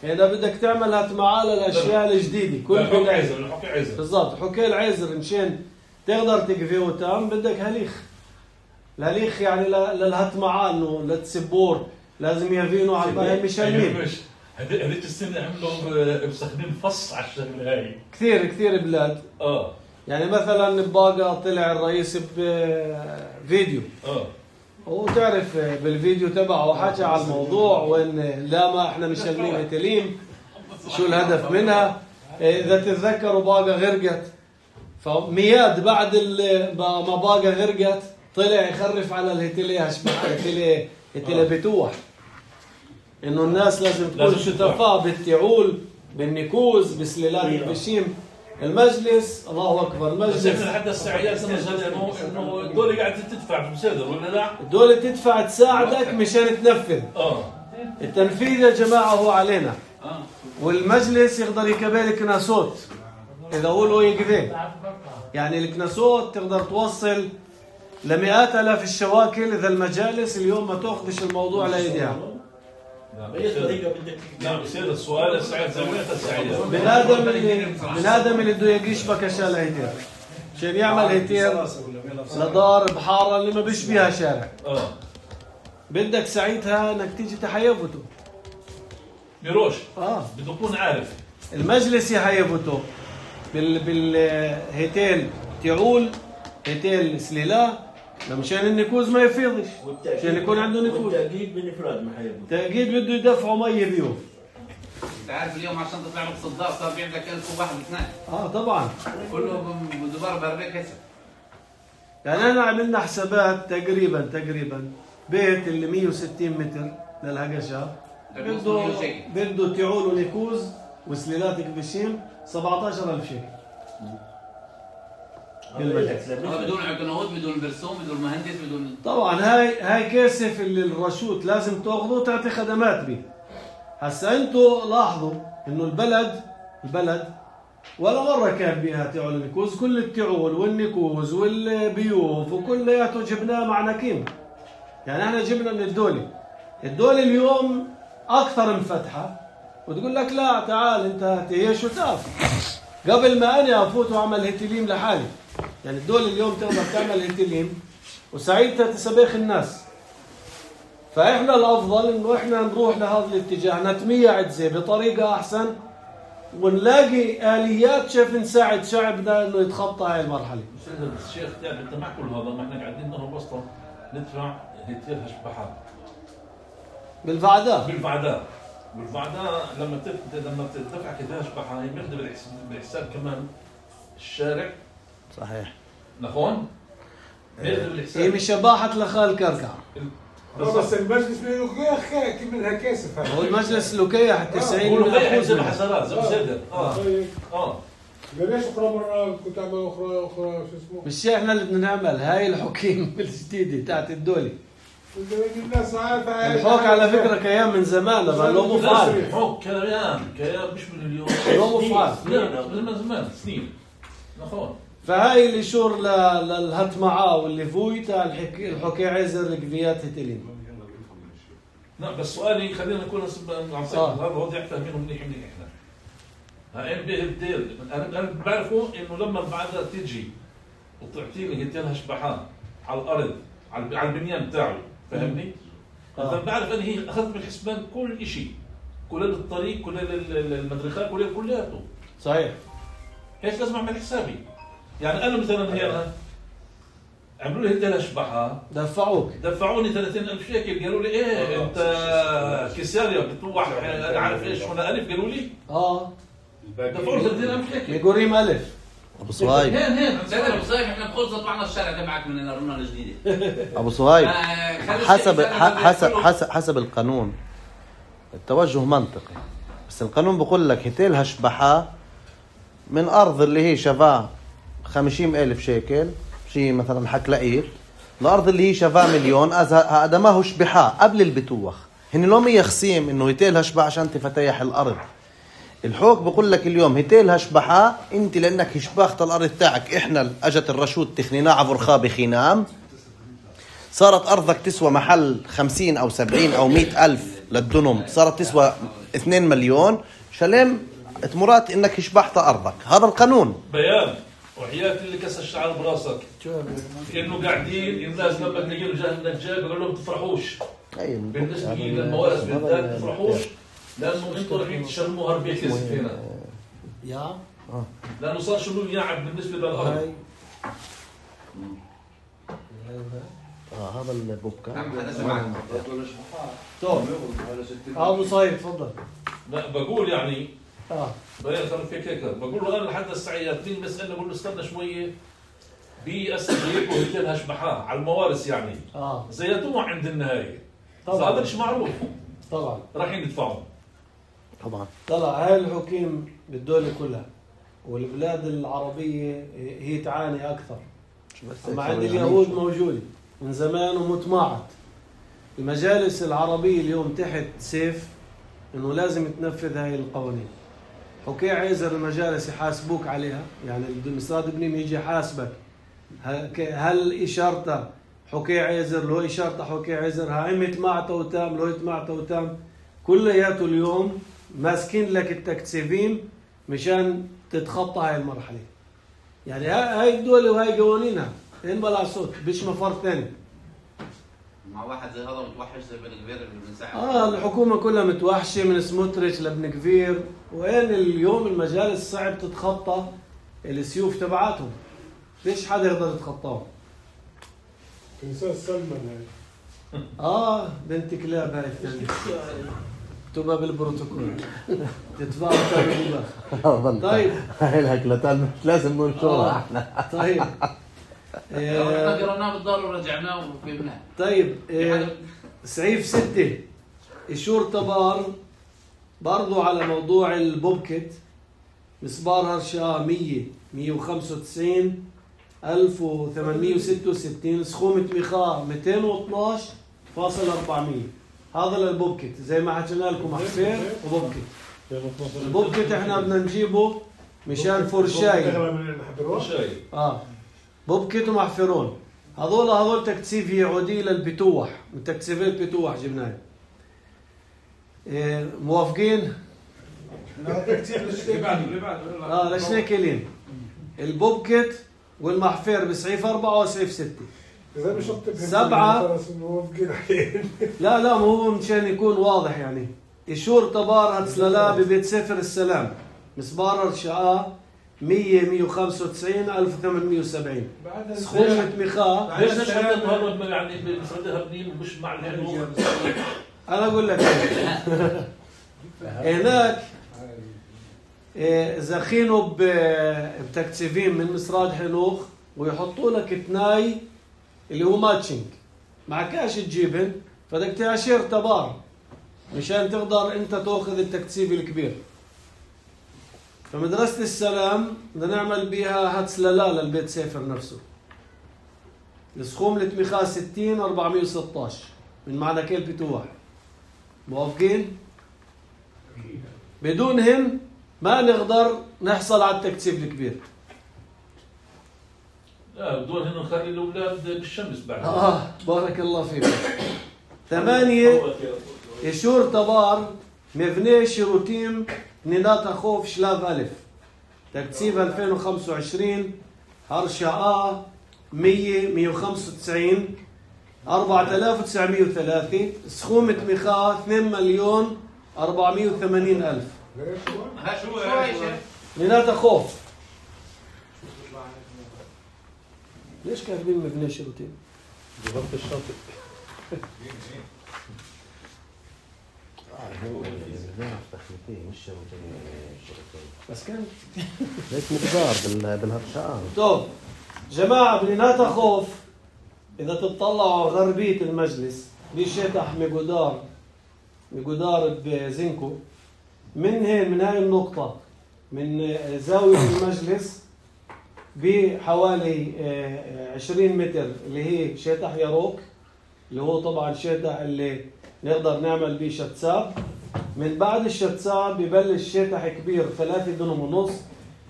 هنا بدك تعمل هتمعات للأشياء الجديدة كل الحكي عزر الحكي عزر بالضبط حكي العزر مشان تقدر تقفيه وتام بدك هليخ الهليخ يعني للهتمعات انه للتسبور لازم يفينوا على الباقي مشانين هذيك السنة عملوا مسخنين فص على الشغلة هاي كثير كثير بلاد اه يعني مثلا بباقة طلع الرئيس بفيديو اه وتعرف بالفيديو تبعه حكى على الموضوع وين لا ما احنا مشغلين هتليم شو الهدف منها اذا تتذكروا باقة غرقت فمياد بعد ما باقة غرقت طلع يخرف على الهتليه هتليه هتليه بتوح انه الناس لازم تكون شتفاء بالتعول بالنكوز بسلالات البشيم المجلس الله اكبر المجلس بس احنا حتى السعيات انه انه الدولة قاعدة تدفع في مسادر ولا لا؟ الدولة تدفع تساعدك مشان تنفذ اه التنفيذ يا جماعة هو علينا والمجلس يقدر يكبل الكناسوت اذا قولوا يقذين يعني الكناسوت تقدر توصل لمئات الاف الشواكل اذا المجالس اليوم ما تاخذش الموضوع لايديها نعم بصير السؤال السعيد زاوية السعيد بنادم اللي بنادم اللي بده يقيش بكشة لهيتير عشان يعمل هيتير لدار بحارة اللي ما بيشبيها شارع اه بدك ساعتها انك تيجي تحيفته بيروش اه بده يكون عارف المجلس يحيفته بال بالهيتيل تعول هيتيل سليلة مشان النكوز ما يفيضش عشان يكون عنده نكوز والتأكيد بالإفراد محيبه تأكيد بده يدفعوا مية بيوم انت عارف اليوم عشان تطلع لك صداق صار في عندك ألف وواحد واثنين اه طبعا كله بدبار بربيك هسه يعني انا عملنا حسابات تقريبا تقريبا بيت اللي مية وستين متر للهقشة بده بده تعول ونكوز وسليلات كبشيم سبعة عشر ألف شيكل بدون عقنوات بدون برسوم بدون مهندس بدون طبعا هاي هاي كاسف اللي الرشوت لازم تاخذه وتعطي خدمات به هسا انتوا لاحظوا انه البلد البلد ولا مره كان بها تعول النكوز كل التعول والنكوز والبيوف وكلياته جبناه مع نكيم يعني احنا جبنا من الدوله الدوله اليوم اكثر منفتحه وتقول لك لا تعال انت هي شو تعرف قبل ما انا افوت واعمل هتليم لحالي يعني الدول اليوم تقدر تعمل هتليم وساعتها تسبخ الناس فاحنا الافضل انه احنا نروح لهذا الاتجاه نتميع عدزه بطريقه احسن ونلاقي اليات كيف نساعد شعبنا انه يتخطى هاي المرحله. الشيخ تعب انت مع كل هذا ما احنا قاعدين نهرب وسطه ندفع هيتير هشبحات بالفعداء بالفعداء بالفعداء لما تف... لما تدفع كده هشبحه هي بياخذ بالحساب كمان الشارع صحيح نخون هي مش شباحة لخال كركع بس المجلس بيقول كيف منها كاسف هو المجلس لوكيح تسعين من أخوز حسرات زي مسدد اه اه ليش اخرى مره كنت اعمل اخرى اخرى شو اسمه مش احنا اللي بدنا نعمل هاي الحكيم الجديده تاعت الدوله الناس عارفه الحوك على فكره كيان من زمان بس لو مفعل الحوك كيان كيان مش من اليوم لو مفعل من زمان سنين نخون فهاي اللي شور للهت معاه واللي فوي تاع الحكي عزر القضيات هتلين لا بس سؤالي خلينا نكون عم صيغ هذا وضع فاهمينه منيح منيح احنا هاي به الديل انا بعرفوا انه لما بعدها تيجي وتعطيني هتين هشبحان على الارض على البنيان بتاعه فاهمني؟ اذا بعرف انا هي اخذت بالحسبان كل شيء كل الطريق كل المدرخات كل كلياته صحيح ايش لازم اعمل حسابي؟ يعني انا مثلا هي عملوا لي هتين هشبحان دفعوك دفعوني ثلاثين ألف شيكل قالوا لي ايه انت كساريا بتوح انا عارف ايش هنا الف قالوا لي اه دفعوا ثلاثين ألف شيكل يقولين الف ابو صهيب هين هين ابو صهيب احنا بخلص طلعنا الشارع تبعك من الارونه الجديده ابو صهيب حسب حسب حسب حسب القانون التوجه منطقي، بس القانون بقول لك هتيل هشبحة من أرض اللي هي شفاه خمسين ألف شيكل شيء مثلا حكلقير الأرض اللي هي شفاه مليون، هذا ما هو شبحة قبل البتوخ. هن لو مية خصيم إنه هتيل هشبحة عشان تفتيح الأرض. الحوك بقول لك اليوم هتيل هشبحة أنت لأنك هشبخت الأرض تاعك، إحنا أجت الرشود تخنينا عبر خابي خينام، صارت أرضك تسوى محل خمسين أو سبعين أو مئة ألف للدنم، صارت تسوى اثنين مليون، شلم تمرات إنك هشبحت أرضك. هذا القانون. بيان وحياة اللي كسر الشعر براسك كأنه قاعدين الناس لما تلاقيهم جاه النجار بيقول لهم تفرحوش. بالنسبة للموارث بالذات تفرحوش لأنه أنتوا رايحين تشرموها ربيع كذب هنا. يا لأنه صار شنو يعب بالنسبة للأرض. آه هذا البوبكا. طب أبو صايب تفضل. لا بقول يعني آه بيان خلوا فيك هيك بقول له أنا لحد الساعة اثنين مسألة بقول له استنى شوية بيأسس هيك وهيك هشبحاه على الموارث يعني. آه زيتوه عند النهاية. طبعا هذا مش معروف. طبعا رايحين يدفعوا. طبعا طلع هاي الحكيم بالدولة كلها والبلاد العربية هي تعاني أكثر. أما عند اليهود موجودة من زمان ومتماعت. المجالس العربية اليوم تحت سيف إنه لازم تنفذ هاي القوانين. حكي عايزر المجالس يحاسبوك عليها، يعني المسراد ابني يجي يحاسبك هل إشارته حكي عايزر لو إشارته حكي عايزر هاي متماعته وتام لو متماعته وتام كلياته اليوم ماسكين لك التكتسيفين مشان تتخطى هاي المرحلة. يعني هاي الدولة وهاي قوانينها إن بلا صوت بيش مفر ثاني. مع واحد زي هذا متوحش زي بن كفير اللي بنساعد. آه الحكومة كلها متوحشة من سموتريتش لابن كفير، وين اليوم المجالس صعب تتخطى السيوف تبعاتهم. ليش حدا يقدر يتخطاهم؟ تنسى سلمان هاي. آه بنت كلاب هاي الثانية. اكتبها بالبروتوكول. تدفعوا تابعوا. طيب. هاي الهكلتان مش لازم ننشرها احنا. طيب. احنا قرأناه بالدار ورجعناه وفهمناه. طيب سعيف ستة إشور تبار برضو على موضوع البوبكت مسبار هرشا مية مية وخمسة وتسعين ألف وثمانمية وستة وستين سخومة مخاء مئتين واثناش فاصل أربعمية. هذا للبوبكت زي ما حكينا لكم حفير وبوبكت. البوبكت احنا بدنا نجيبه مشان فرشاي. اه بوبكت ومحفرون هذول هذول تكثيف يعودي للبتوح من تكثيفات بتوح جبناه. إيه موافقين؟ اه لشناكلين البوبكت والمحفر بسعيف أربعة وسعيف ستة. إذا مش سبعة لا لا مو هو مشان يكون واضح يعني. إشور تبار هتسللا ببيت سفر السلام مسبار الشقاء مية مية وخمسة وتسعين ألف وثمانمية وسبعين سخومة مخاء. ليش نشهد النهارده يعني بمسردها بنين ومش مع الحنوخ؟ أنا أقول لك هناك زخينوا بتكتسيفين من مسراد حنوخ ويحطوا لك تناي اللي هو ماتشنج مع كاش الجبن فدك تعشير تبار مشان تقدر انت تاخذ التكتسيف الكبير. فمدرسة السلام بدنا نعمل بيها هتسللا للبيت سيفر نفسه. السخوم التمخاء ستين أربعمية وستة عشر من معنى كيل بتوح. موافقين؟ بدونهم ما نقدر نحصل على التكتسيف الكبير. لا بدون هنا نخلي الأولاد بالشمس بعد. آه بارك الله فيك. ثمانية إشور تبار مبني شروتيم نيناتا خوف شلاف ألف تكتسيف ألفين وخمسة وعشرين هرشا مية مية وخمسة وتسعين أربعة آلاف وتسعمية وثلاثة سخومة مخاء اثنين مليون أربعمية وثمانين ألف. ها شو هاي شيخ؟ نيناتا خوف. ليش كاتبين مبني شروتيم؟ بغرفة الشاطئ. بس كان ليش مقدار بالهرشان. طب جماعة بنيناتا خوف إذا تطلعوا غربية المجلس بشتح مقدار بجدار بزنكو. من هين من هاي النقطة من زاوية المجلس بحوالي عشرين متر اللي هي شاتح يروك اللي هو طبعا شاتح اللي نقدر نعمل بيه شتساب. من بعد الشتساب ببلش شاتح كبير ثلاثة دنم ونص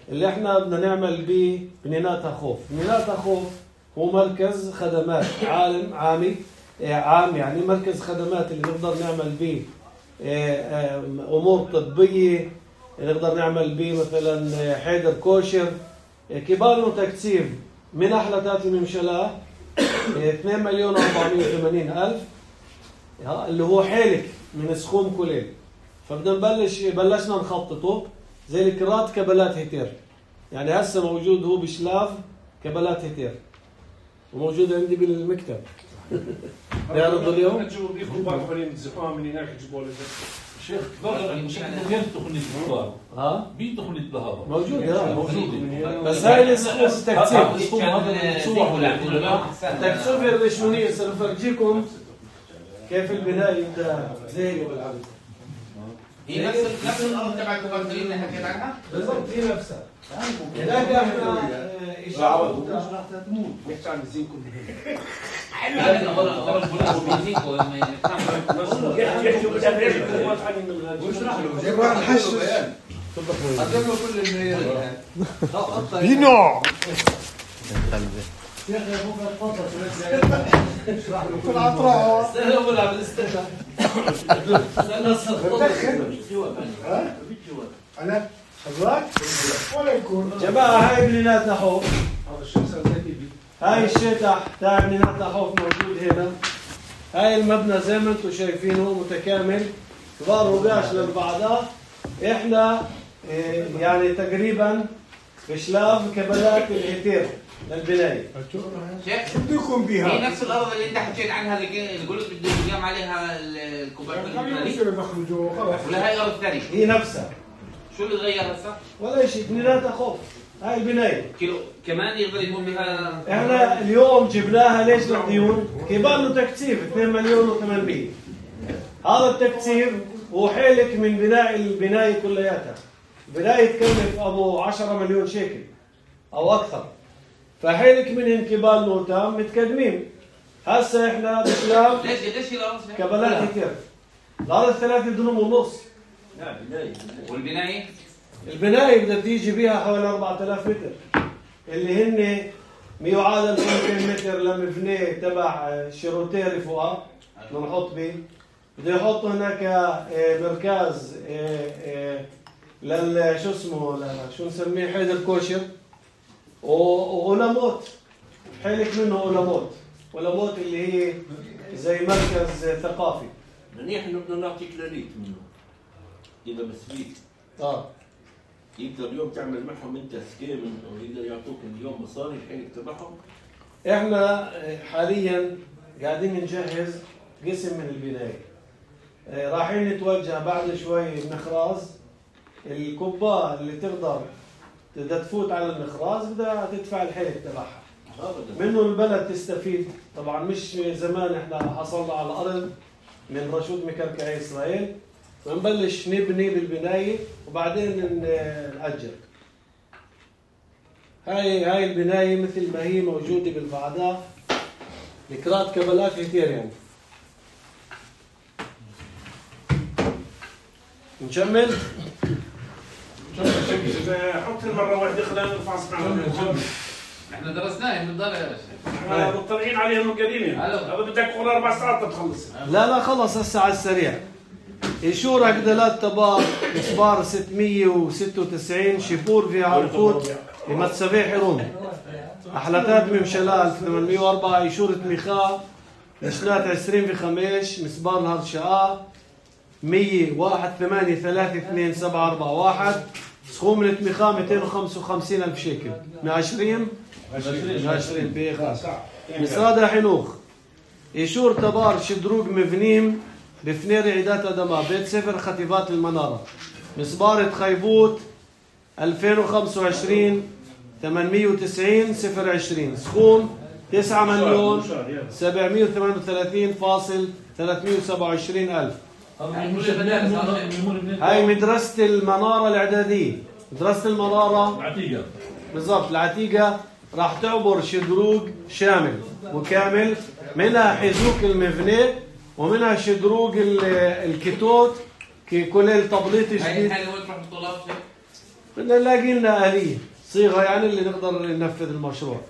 اللي احنا بدنا نعمل بيه بنينات خوف. بنينات خوف هو مركز خدمات عالم عامي عام يعني مركز خدمات اللي نقدر نعمل بيه امور طبيه، نقدر نعمل بيه مثلا حيدر كوشر. كبار تكثيف من احلتات الممشلاه اثنين مليون وأربعمائة وثمانين ألف اللي هو حالك من سخوم كلين. فبدنا نبلش بلشنا نخططه زي الكرات كبلات هتير، يعني هسه موجود هو بشلاف كبلات هتير وموجود عندي بالمكتب. نعرض اليوم تجيبوا بيكم بعض فريق الزحام من هناك تجيبوا له شيخ غير تقنية الكبار ها بتقنية الهضبة موجود ها موجود بس هاي الاسقوم التكثيف التكثيف الرشمونية سنفرجيكم كيف البناء يبدا زي بالعرض. هي نفس نفس الارض تبع الكوبرتين اللي حكيت عنها؟ بالضبط هي نفسها. هناك احنا اشاره راح تموت نحكي عن الزينكو هذا اول اول بقول بيزيكو لما يحكوا بالابريج الكومات عن من واشرح له جيب واحد الحش قدم له كل المعايير ينوع يا اخي ابوك تفضل اشرح له كل عطراء استنى اقول عم الاستنى استنى ها انا حضرتك ولا يكون جماعه هاي بنينات نحوف. هذا الشمس الذكي هاي الشتح تاع بنينات نحوف موجود هنا. هاي المبنى زي ما انتم شايفينه متكامل كبار وقاش للبعضها. احنا يعني تقريبا بشلاف كبلات الهتير للبنايه. شيخ شو بده يكون بيها؟ هي نفس الارض اللي انت حكيت عنها اللي قلت بده يقام عليها الكوبرتين الثاني يصير يدخلوا خلاص ولا هاي الارض الثانيه؟ هي نفسها شو اللي تغير هسه؟ ولا شيء بنينات خوف. هاي البنايه كيلو كمان يقدر يكون بها. احنا اليوم جبناها ليش للديون؟ كبار له تكثيف اثنين مليون وثمانمائة. هذا التكثيف هو حيلك من بناء البنايه كلياتها. البنايه تكلف ابو عشرة مليون شيكل او اكثر. فحيلك منهم كبار نوتام متقدمين. هسه احنا بشلام ليش قديش هي الارض؟ كبلات كثير. الارض ثلاثة دنم ونص. لا بنايه والبنايه؟ البنايه بدها تيجي بيها حوالي أربعة آلاف متر اللي هن ما يعادل مئتين متر لمبنى تبع شيروتيري فوقها بدنا نحط به. بده يحطوا هناك مركز لل شو اسمه شو نسميه حيدر كوشر وأولموت. حيلك منه أولموت. أولموت اللي هي زي مركز ثقافي. منيح انه بدنا نعطيك لليت منه اذا مسبيك اه يقدر اليوم تعمل معهم انت سكيم ويقدر يعطوك اليوم مصاري الحيلك تبعهم. احنا حاليا قاعدين نجهز قسم من البنايه. رايحين نتوجه بعد شوي بنخراز. الكبار اللي تقدر بدها تفوت على النخراز بدها تدفع الحيلك تبعها. منه البلد تستفيد. طبعا مش زمان احنا حصلنا على الارض من رشود مكركعي اسرائيل ونبلش نبني بالبنايه وبعدين نأجر. هاي هاي البنايه مثل ما هي موجوده بالبعضات الكرات كبلات كثير يعني. نكمل؟ حط المره واحده خلينا نرفع صنعنا. احنا درسناه من الدار يا شيخ. احنا مطلعين عليهم قديمين. هذا بدك تكون اربع ساعات تخلص. لا لا خلص هسه على السريع. إيشور عقدلات تبار مسبار ستمية وستة وتسعين شيبور في عرفوت بمتسبيح حروم. أحلتات ممشلال ألف وثمانمية وأربعة إيشور تميخاء نشنات عشرين في خميش مسبار نهر شقاء مية واحد ثمانية ثلاثة اثنين سبعة أربعة واحد سخوم التميخاء مئتين وخمسة وخمسين ألف شيكل من عشرين من عشرين بيخ مسرادة حنوخ. إيشور تبار شدروق مفنيم بفنير عيدات أدماء بيت سفر خطيبات المنارة مسبارة خيبوت ألفين وخمسة وعشرين ثمانمية وتسعين صفر عشرين سخوم تسعة مليون سبعمية وثمانية وثلاثين فاصل ثلاثمية وسبعة وعشرين ألف هاي مدرسة المنارة الإعدادية. مدرسة المنارة العتيقة بالضبط العتيقة راح تعبر شدروق شامل وكامل، منها حزوك المبنى ومنها شدروق الكتوت كل تبليط جديد. هاي الحالة وين تروح الطلاب؟ بدنا نلاقي لنا آلية صيغة يعني اللي نقدر ننفذ المشروع.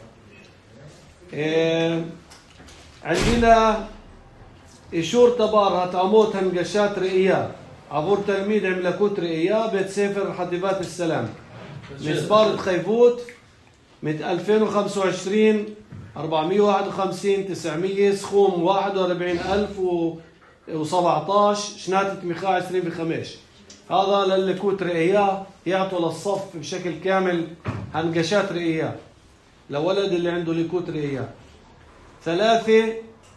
إيه عندنا إشور تبار هتعموت هنقشات رئية عبور تلميذ عملكوت رئية بيت سفر حديبات السلام مسبارة خيفوت من ألفين وخمسة وعشرين أربعمية وواحد وخمسين تسعمية سخوم واحد وأربعين ألف وسبعة عشر شناتة مخاء عشرين بخمش. هذا للكوت رئية يعطوا للصف بشكل كامل هنقشات رئية لولد اللي عنده لكوت رئية. ثلاثة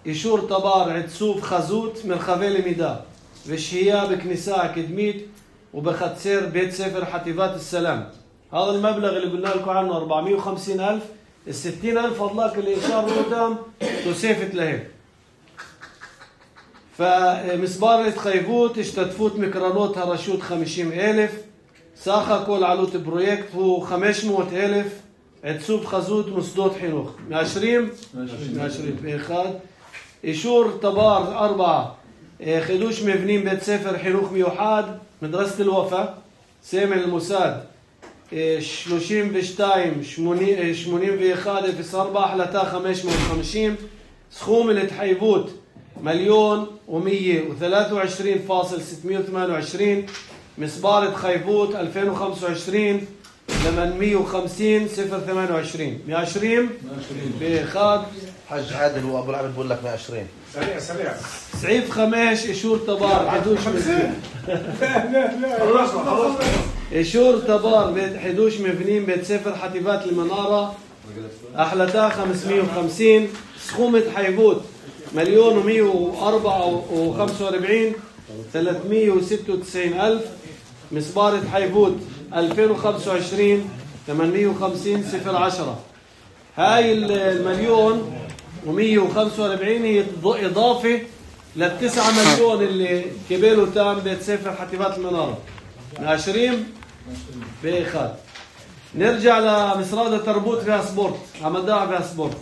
إشور تبار عدسوف خزوت من خفيل ميدا بشهية بكنيسة أكاديميت وبختسير بيت سفر حتيبات السلام. هذا المبلغ اللي قلنا لكم عنه أربعمية وخمسين ألف. الستين ألف فضلك اللي إشار قدام تسيفت لهم. فمسبارة خيفوت اشتتفوت مكرانوت هرشوت خمسين ألف. ساخا كل علوت برويكت هو خمسمائة ألف. عدسوف خزوت مصدوت حنوخ عشرين عشرين بإخاد. إشور تبار أربعة خدوش مبنين بيت سفر حنوخ ميوحاد مدرسة الوفا سامع الموساد شلوشين بشتايم شمونين بإخاد في أربعة حلتا خمسمائة وخمسين. سخوم الاتحيبوت مليون ومية وثلاثة وعشرين فاصل ستمائة وثمانية وعشرين. مصبارة خيبوت ألفين وخمسة وعشرين ثمانمائة وخمسين صفر ثمانية وعشرين مئة وعشرين بإخاد. حج عادل وابو العبد بقول لك مئة وعشرين سريع سريع سعيف خماش إشور تبار حدوش مبنين. خلصنا خلصنا إشور تبار بيت حدوش مبنين بيت سفر حتيبات المنارة أحلتا خمسمائة وخمسين. سخومة حيبوت مليون ومئة وأربعة وخمسة وأربعين ثلاثمائة وستة وتسعين ألف. مصبارة حيبوت ألفين وخمسة وعشرين ثمانمائة وخمسين صفر عشرة. هاي المليون ومئة وخمسة وأربعين هي إضافة للتسعة مليون اللي كبيروا تام بيت سفر حتيبات المنارة عشرين بإخاد. نرجع لمسرادة تربوت فيها سبورت عمداع فيها سبورت.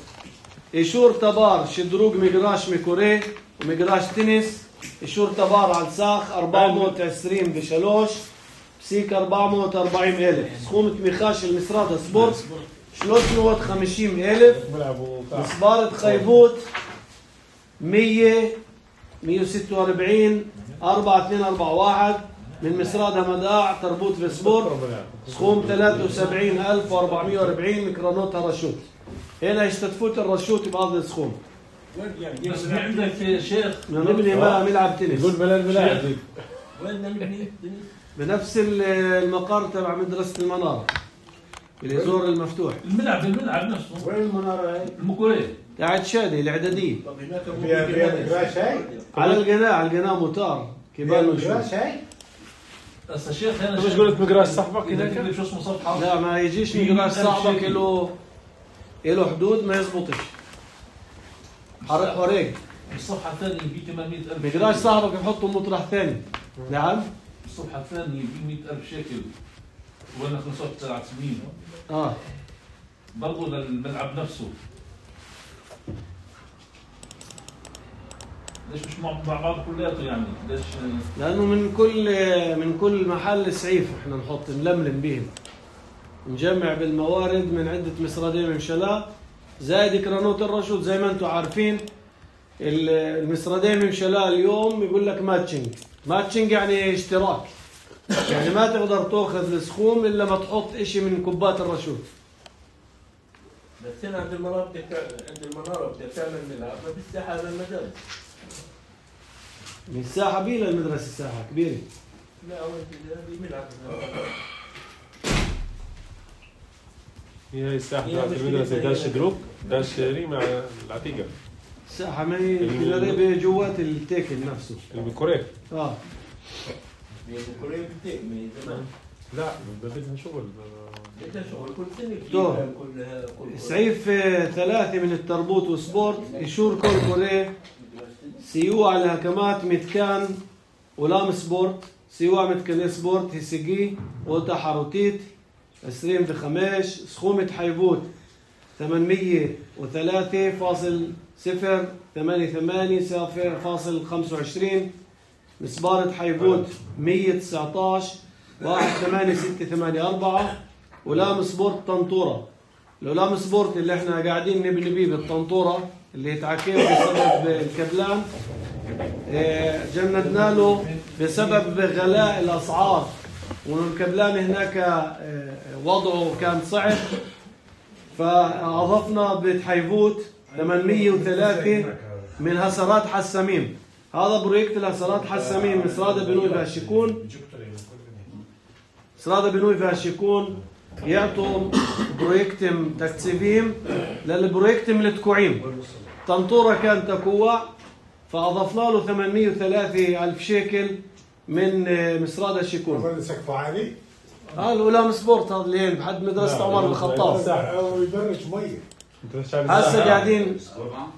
إشور تبار شدروق مقراش ميكوري ومقراش تنس. إشور تبار على الساخ أربعمائة وعشرين بشلوش بسيك أربعمائة وأربعين ألف. سخومة ميخاش المسرادة سبورت ثلاثمائة وخمسين ألف. مصبارة خيبوت مية مئة وستة وأربعين أربعة اثنين أربعة واحد من مسرادة مداع تربوت في سبورت. سخوم ثلاثة وسبعين ألف وأربعمائة وأربعين ميكرانوت هرشوت. هنا يشتتفوت الرشوت بهذا السخوم. بس عندك شيخ نبني ما ملعب تنس. يقول بلا الملاعب وين نبني بنفس المقر تبع مدرسة المنارة الازور المفتوح. الملعب الملعب نفسه وين المنارة هاي؟ المكوريه قاعد شادي الاعدادية. طب هناك فيها فيها مقراش هاي على القناة على القناة موتار كبار مقراش هاي. بس الشيخ هنا مش قلت مقراش صاحبك هناك شو اسمه صفحه؟ لا ما يجيش مقراش صاحبك له له حدود ما يزبطش. حرق حريق الصفحه الثانيه ب ثمانمائة ألف. مقراش صاحبك يحطه مطرح ثاني. نعم الصفحه الثانيه ب مئة ألف شيكل وانا خلصت سبع سنين. اه برضه للملعب نفسه. ليش مش مع بعض كلياته يعني؟ ليش؟ لانه من كل من كل محل سعيف احنا نحط نلملم بهم نجمع بالموارد من عده مسرادين ممشلا زائد كرانوت الرشود. زي ما انتم عارفين المسرادين ممشلا اليوم يقول لك ماتشنج. ماتشنج يعني اشتراك، يعني ما تقدر تاخذ السخوم الا ما تحط اشي من كوبات الرشود. بس هنا عند المنارة بدك عند المنارة بدك تعمل ملعب ما بالساحة للمدارس. من الساحة بيلا المدرسة الساحة كبيرة. لا أول في ملعب. هي هي الساحة تاعت المدرسة داش دروك داش مع العتيقة. الساحة ما هي قريبة جوات التيكل نفسه. البكوريه. اه. البكوريه بتيك من زمان. لا بدها شغل. بدها شغل كل سنة كلها كل سعيف ثلاثة من التربوط وسبورت. إشور كل كوريه سيوع الهكمات متكان ولام سبورت، سيوا متكني سبورت، هيسيجي، وتا حاروتيت، عشرين بخمش، سخومة حيبوت ثمانمية وثلاثة فاصل صفر ثمانية ثمانية صفر فاصل خمسة وعشرين، مسبارة حيبوت مية وتسعة عشر واحد ثمانية ستة ثمانية أربعة، ولام سبورت طنطورة. الولام سبورت اللي احنا قاعدين نبني بيه بالطنطورة اللي يتعكيه بسبب الكبلان، جندنا له بسبب غلاء الأسعار، والكبلان هناك وضعه كان صعب، فأضفنا بتحيفوت ثمانمية وثلاثة من هسرات حسامين. هذا بروجكت الهسرات حسامين مسرادة بنوي فاشيكون، مسرادة بنوي فاشيكون يعطوا بروجكتم تكتسبيم للبروجكتم لتكوعيم. طنطورة كان تكوع، فأضفنا له ثمانمية وثلاثة ألف شيكل من مسرادة شيكون. هذا سقفه عالي؟ اه الأولام سبورت هذا اللي بحد مدرسة عمر الخطاب. أو يبرج مية. هسه قاعدين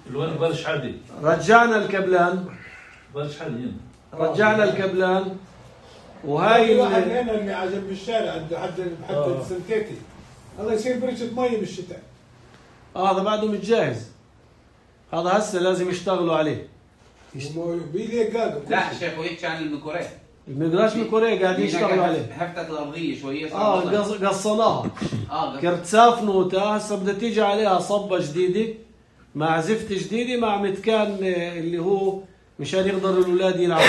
الوين برش عادي. رجعنا الكبلان. برش عادي. رجعنا الكبلان وهاي واحد هنا اللي عجب بالشارع عنده حد حتى السنتيتي هذا يصير برشة مية بالشتاء. اه هذا بعده متجهز. هذا هسه لازم يشتغلوا عليه. لا الشيخ يحكي عن الميكوريه. الميكراش ميكوريه قاعدين يشتغلوا عليه. هفتت الارضيه شويه. اه قصناها. اه كرتساف نوتا هسه بدها تيجي عليها صبه جديده مع زفت جديده مع متكان اللي هو مشان يقدروا الاولاد يلعبوا.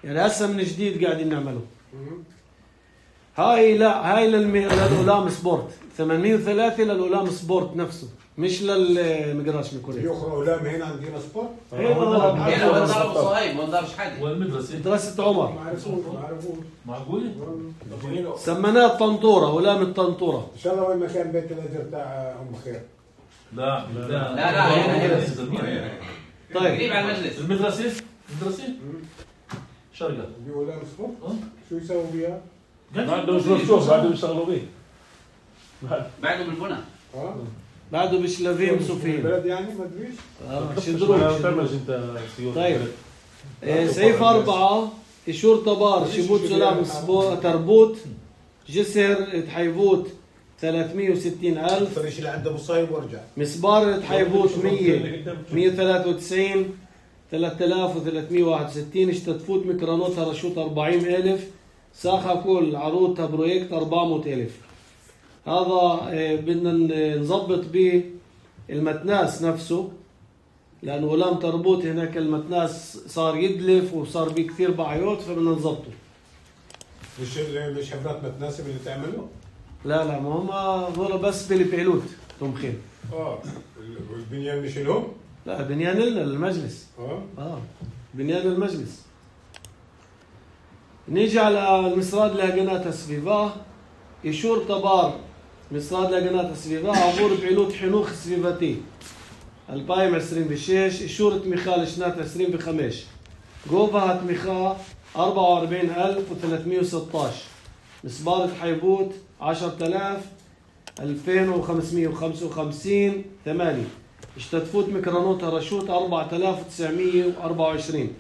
يعني هسه من جديد قاعدين نعمله. هاي لا هاي للأولام سبورت ثمانمية وثلاثة للأولام سبورت نفسه مش للمقراش ميكوريه. يخرج أولام هنا عندنا سبورت؟ هنا وين دار أبو صهيب وين دار شحاده؟ وين المدرسة؟ مدرسة عمر. ما عرفوش ما عرفوش. معقولة؟ سميناه الطنطورة أولام الطنطورة. إن شاء الله وين مكان بيت الأجر تاع أم خير. لا لا لا لا هنا هنا. طيب. قريب على المجلس. المدرسة؟ المدرسة؟ شرقة. دي أولام سبورت؟ شو يسووا بيها؟ بعده مش مفتوح بعده بيشتغلوا بيه. بعده بالبنى. اه بعده بشلافين صوفين. البلد يعني ما ادريش. اه شدروج. انت طيب. سيف أربعة إشور طبار شبوت سلام تربوت جسر تحيبوت ثلاثمية وستين ألف. فريش اللي عنده مصايب وارجع. مسبار تحيبوت مية مية وثلاثة وتسعين ثلاثة آلاف وثلاثمية وواحد وستين. اشتتفوت ميكرانوتها رشوت أربعين ألف. ساخة كل عروضها بروجكت أربعمية ألف. هذا بدنا نظبط به المتناس نفسه لأنه غلام تربوت هناك المتناس صار يدلف وصار به كثير بعيوت فبدنا نظبطه. مش مش حفرات متناسب اللي تعمله؟ لا لا ما هم هذول بس بالبيلوت تمخين. اه البنيان مش لهم؟ لا بنيان لنا للمجلس. اه اه بنيان المجلس. نيجي على المسراد لاجنات سفيفا يشور طبار مسراد لاجنات سفيفا عبور بعلوت حنوخ سفيفاتي البايم عشرين بشيش يشور تميخال شنات عشرين بخمش جوفا تميخا أربعة وأربعين ألف وثلاثمية وستة عشر مسبارة حيبوت عشرة آلاف ألفين وخمسمية وخمسة وخمسين ثمانية اشتتفوت ميكرانوتا رشوت أربعة آلاف وتسعمية وأربعة وعشرين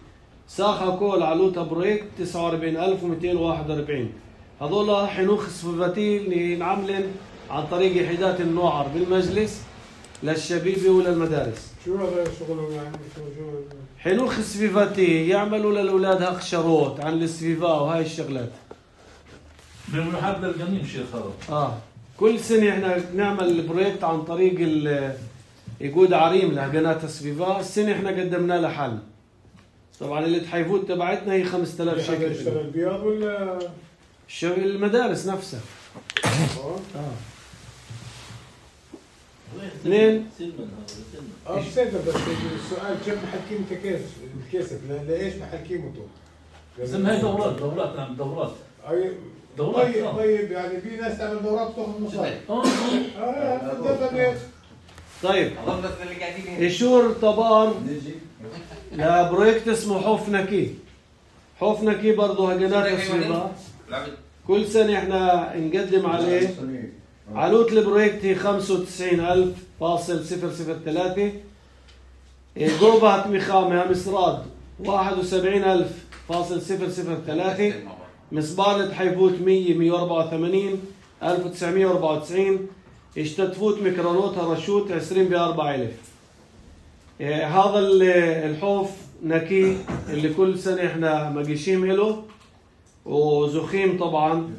ساخة كول علوتا بروجكت تسعة وأربعين ألف ومئتين وواحد وأربعين. هذول حنوخ صفاتي اللي نعملن عن طريق يحيدات النوعر بالمجلس للشبيبة وللمدارس. شو هذا شغلهم يعني؟ شو شو حنوخ صفاتي يعملوا للأولاد هقشروت عن السفيفا وهاي الشغلات. بمحل الجنين شيخ هذا. اه كل سنة احنا نعمل البروجكت عن طريق يقود عريم لقناة السفيفا. السنة احنا قدمنا له حل. طبعا اللي تحيفوت تبعتنا هي خمسة آلاف شيكل. يشتغل بياض ولا الشغل المدارس نفسها. اه اه اثنين اه بسيطة بس السؤال كم محكيم كيف الكيسف ليش محكيمته؟ زين هاي دورات دورات نعم دورات. اي دورات طيب طيب يعني في ناس تعمل دورات تاخذ مصاري. اه اه طيب يشور طبار لبروجكت اسمه حوف نكي. حوف نكي برضه هجنات تسويبا كل سنة احنا نقدم عليه. علوت البروجكت هي خمسة وتسعين ألف فاصل صفر صفر ثلاثة. جوبها تمخامها مسراد واحد وسبعين ألف فاصل صفر صفر ثلاثة. مصبالة حيفوت مية مية وأربعة وثمانين ألف وتسعمية وأربعة وتسعين. اشتتفوت ميكرونوت هرشوت عشرين بأربعة ألف. إيه هذا الحوف نكي اللي كل سنة احنا مقيشيم له، وزخيم طبعا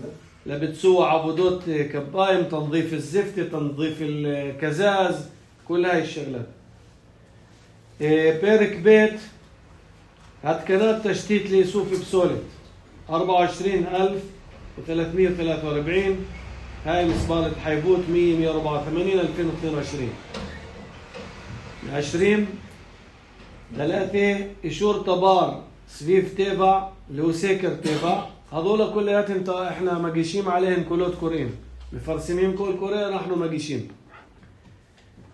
لبتسوى عبودات كبايم، تنظيف الزفتة، تنظيف الكزاز، كل هاي الشغلات. إيه بيرك بيت هتكنات تشتيت ليسوف بسولت أربعة وعشرين ألف وثلاثمية وثلاثة وأربعين. هاي مصبالة حيبوت مية مية وأربعة وثمانين ألفين واثنين وعشرين. عشرين ثلاثة إشور طبار سفيف تيبع اللي هو سيكر تيبع. هذول كلياتهم احنا مقيشين عليهم كلوت كورين، مفرسمين كل كورين نحن مقيشين.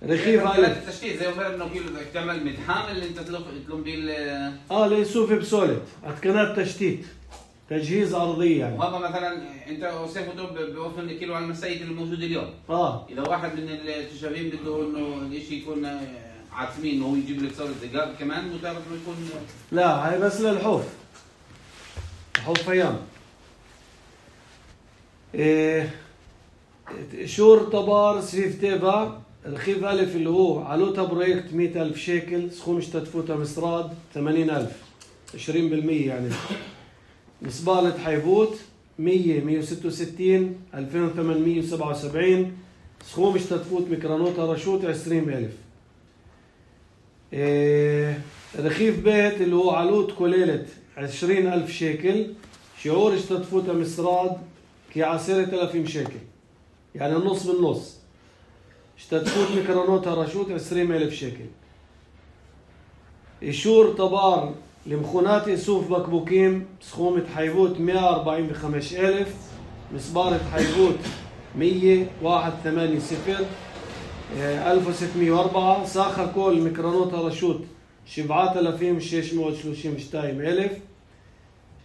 رخيف على التشتيت زي ما انه كيلو بدك تعمل مدحام اللي انت تلوم بيه اه ليسوف بسولت اتكنات تشتيت تجهيز ارضي يعني. وهذا مثلا انت سيف دوب بوفر كيلو على المسايد الموجوده اليوم. اه اذا واحد من التشابين بده انه الشيء يكون عازمين انه هو يجيب لك صوره دجاج كمان مطالب انه يكون. لا هاي بس للحوف، حوف ايام. إيه شور طبار سفيف تيبا رخيف ألف اللي هو علوتها بروجكت مية ألف شيكل، سخوم اشتتفوتها مصراد ثمانين ألف، عشرين بالمية يعني. مصبالة حيبوت مية مية وستة وستين ألفين وثمانمية وسبعة وسبعين، سخوم اشتتفوت ميكرونوتها رشوت عشرين ألف. إيه رخيف بيت اللي هو علوت كوليلة عشرين ألف شيكل، شعور اشتتفوتها مصراد كي عشرة آلاف شيكل، يعني النص بالنص. اشتتفوت ميكرونوتها رشوت عشرين ألف شيكل. إشور طبار لمخونات إسوف بكبوكيم سخومة حيبوت مية وأربعين بخمس ألف. مصبارة حيبوت مية واحد ثمانية صفر ألف وستمية وأربعة. ساخر كل ميكرونوتها رشوت سبعة آلاف وششمية وثلاثين وشتايم ألف.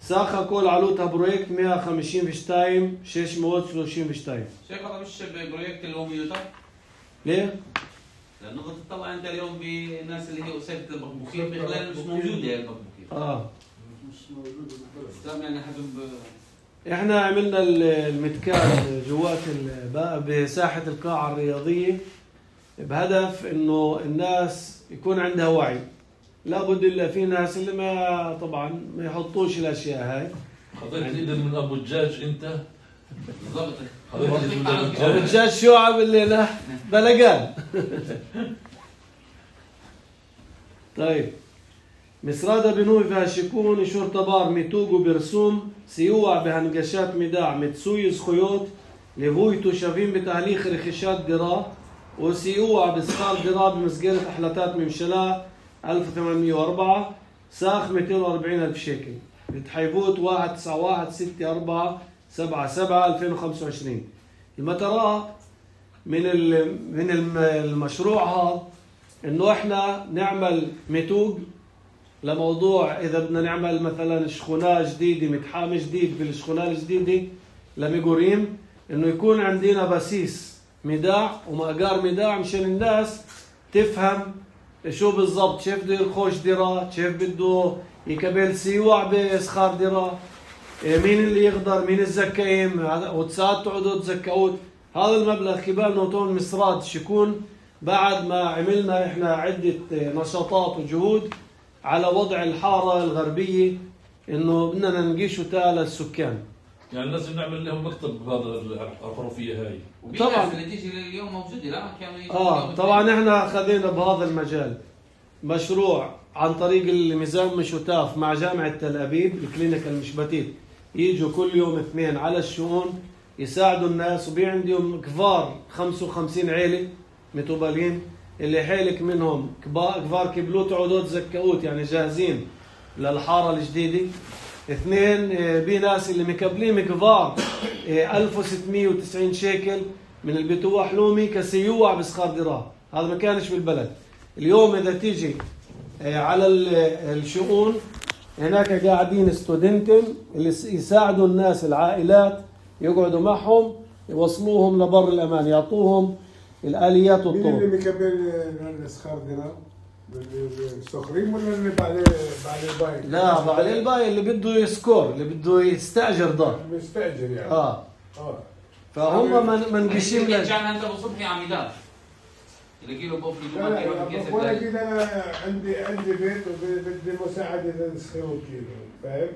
ساخر كل علوتها بروجكت مية وخمسين وشتايم ششمية وثلاثين وشتايم. شيخ هذا مش بروجكت اللي هو ميوتا؟ ليه؟ لأنه تطلع أنت اليوم بالناس اللي هي أسرة البكبوكين بخلال مش موجودة البكبوكين. آه. مش موجودة بالبلد. يعني حبيب إحنا عملنا المتكال جوات بساحة القاعة الرياضية بهدف إنه الناس يكون عندها وعي. لابد إلا في ناس اللي ما طبعا ما يحطوش الأشياء هاي. خذيت إيدك من أبو الدجاج أنت؟ بالضبط. أبو الدجاج شو عمل لنا؟ بلقان. طيب مصرادة بنوي فيها شكون شور طبار ميتوغو برسوم سيوع بهنقشات مداع متسوي خيوط لفويتو شافين بتهليخ رخيشات دراء وسيوع بسخار دراء بمسجرة أحلاتات ممشلا ألف وثمانمية وأربعة. ساخ مئتين وأربعين ألف شيكل. بتحيبوت واحد تسعة واحد ستة أربعة سبعة سبعة ألفين وخمسة وعشرين. المتراء من من المشروع هذا إنه إحنا نعمل ميتوج لموضوع إذا بدنا نعمل مثلا شخونة جديدة متحام جديد بالشخونة الجديدة لميجوريم، إنه يكون عندنا بسيس مداع ومقار مداع مشان الناس تفهم شو بالضبط، كيف بده يرخوش دراء، كيف بده يكبل سيوع بسخار دراء، مين اللي يقدر، مين الزكايم، وتساعد تقعدوا تزكوت. هذا المبلغ كبال نوتون مصراد شكون بعد ما عملنا إحنا عدة نشاطات وجهود على وضع الحارة الغربية إنه بدنا ننقيشوا تالا السكان. يعني لازم نعمل لهم مكتب بهذا الحرفية هاي. طبعا اللي تيجي اليوم موجودة لا كانوا اه طبعا احنا خذينا بهذا المجال مشروع عن طريق الميزان مشوتاف مع جامعة تل أبيب الكلينيكال المشبتيت، يجوا كل يوم اثنين على الشؤون يساعدوا الناس، وبي عندهم كبار خمسة وخمسين عيلة متوبالين اللي حيلك منهم كبار كبلوت عودات زكاوت يعني جاهزين للحارة الجديدة. اثنين بي ناس اللي مكبلين كبار ألف وستمية وتسعين شيكل من البتوع حلومي كسيوع بسخار دراء، هذا ما كانش بالبلد. اليوم إذا تيجي على الشؤون هناك قاعدين ستودنتم اللي يساعدوا الناس العائلات يقعدوا معهم يوصلوهم لبر الأمان، يعطوهم الآليات والطرق. مين اللي مكبل السخار دراء؟ الصخرين ولا اللي بعد بعد الباي؟ لا بعد الباي اللي بده يسكور، اللي بده يستاجر دار. مستاجر يعني. اه اه فهم من من بيشيل لك كان انت بصب في عميدات اللي كيلو بوفلي لا لا ولا كده انا عندي عندي بيت وبدي مساعده للسخير كيلو فاهم؟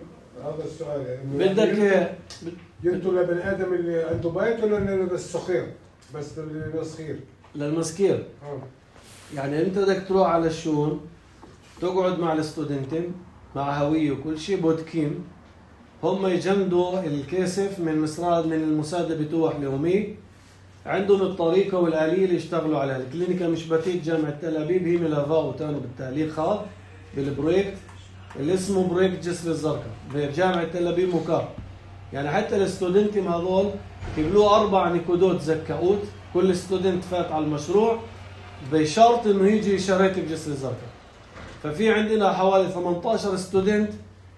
هذا السؤال يعني بدك جبتوا لبني ادم اللي عنده بيت ولا للسخير؟ بس للسخير للمسكير. اه يعني انت بدك تروح على الشؤون تقعد مع الستودنتين مع هويه وكل شيء بودكين هم يجمدوا الكاسف من مصراد من المساعده بتوح اليومي، عندهم الطريقه والاليه اللي يشتغلوا عليها. الكلينيكا مش بتيت جامعه تل ابيب هي ملافاو تانو بالتعليق هذا بالبروجكت اللي اسمه بروجكت جسر الزرقاء بجامعه تل ابيب مكار. يعني حتى الستودنتين هذول يقبلوا اربع نقودات زكاوت، كل ستودنت فات على المشروع بشرط انه يجي يشارك بجسر الزرقاء. ففي عندنا حوالي ثمانية عشر ستودنت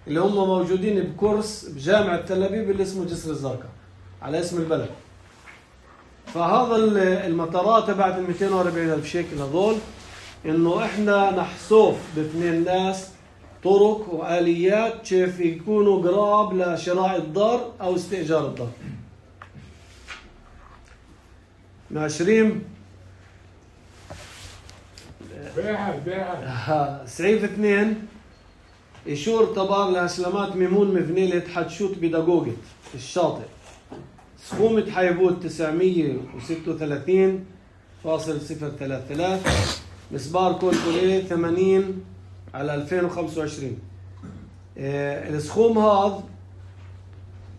اللي هم موجودين بكورس بجامعه تل ابيب اللي اسمه جسر الزرقاء على اسم البلد. فهذا المطارات تبعت ال مئتين وأربعين ألف شيكل هذول انه احنا نحسوف باثنين ناس طرق واليات كيف يكونوا قراب لشراء الدار او استئجار الدار. عشرين بيعها بيعها سعيف اثنين إشور طبار لهشلمات ميمون مفنيلة حتشوت بدقوقة الشاطئ سخومة حيبوت تسعمية وستة وثلاثين فاصل صفر ثلاثة ثلاثة مسبار كولكوليه ثمانين على ألفين وخمسة وعشرين. اه السخوم هذا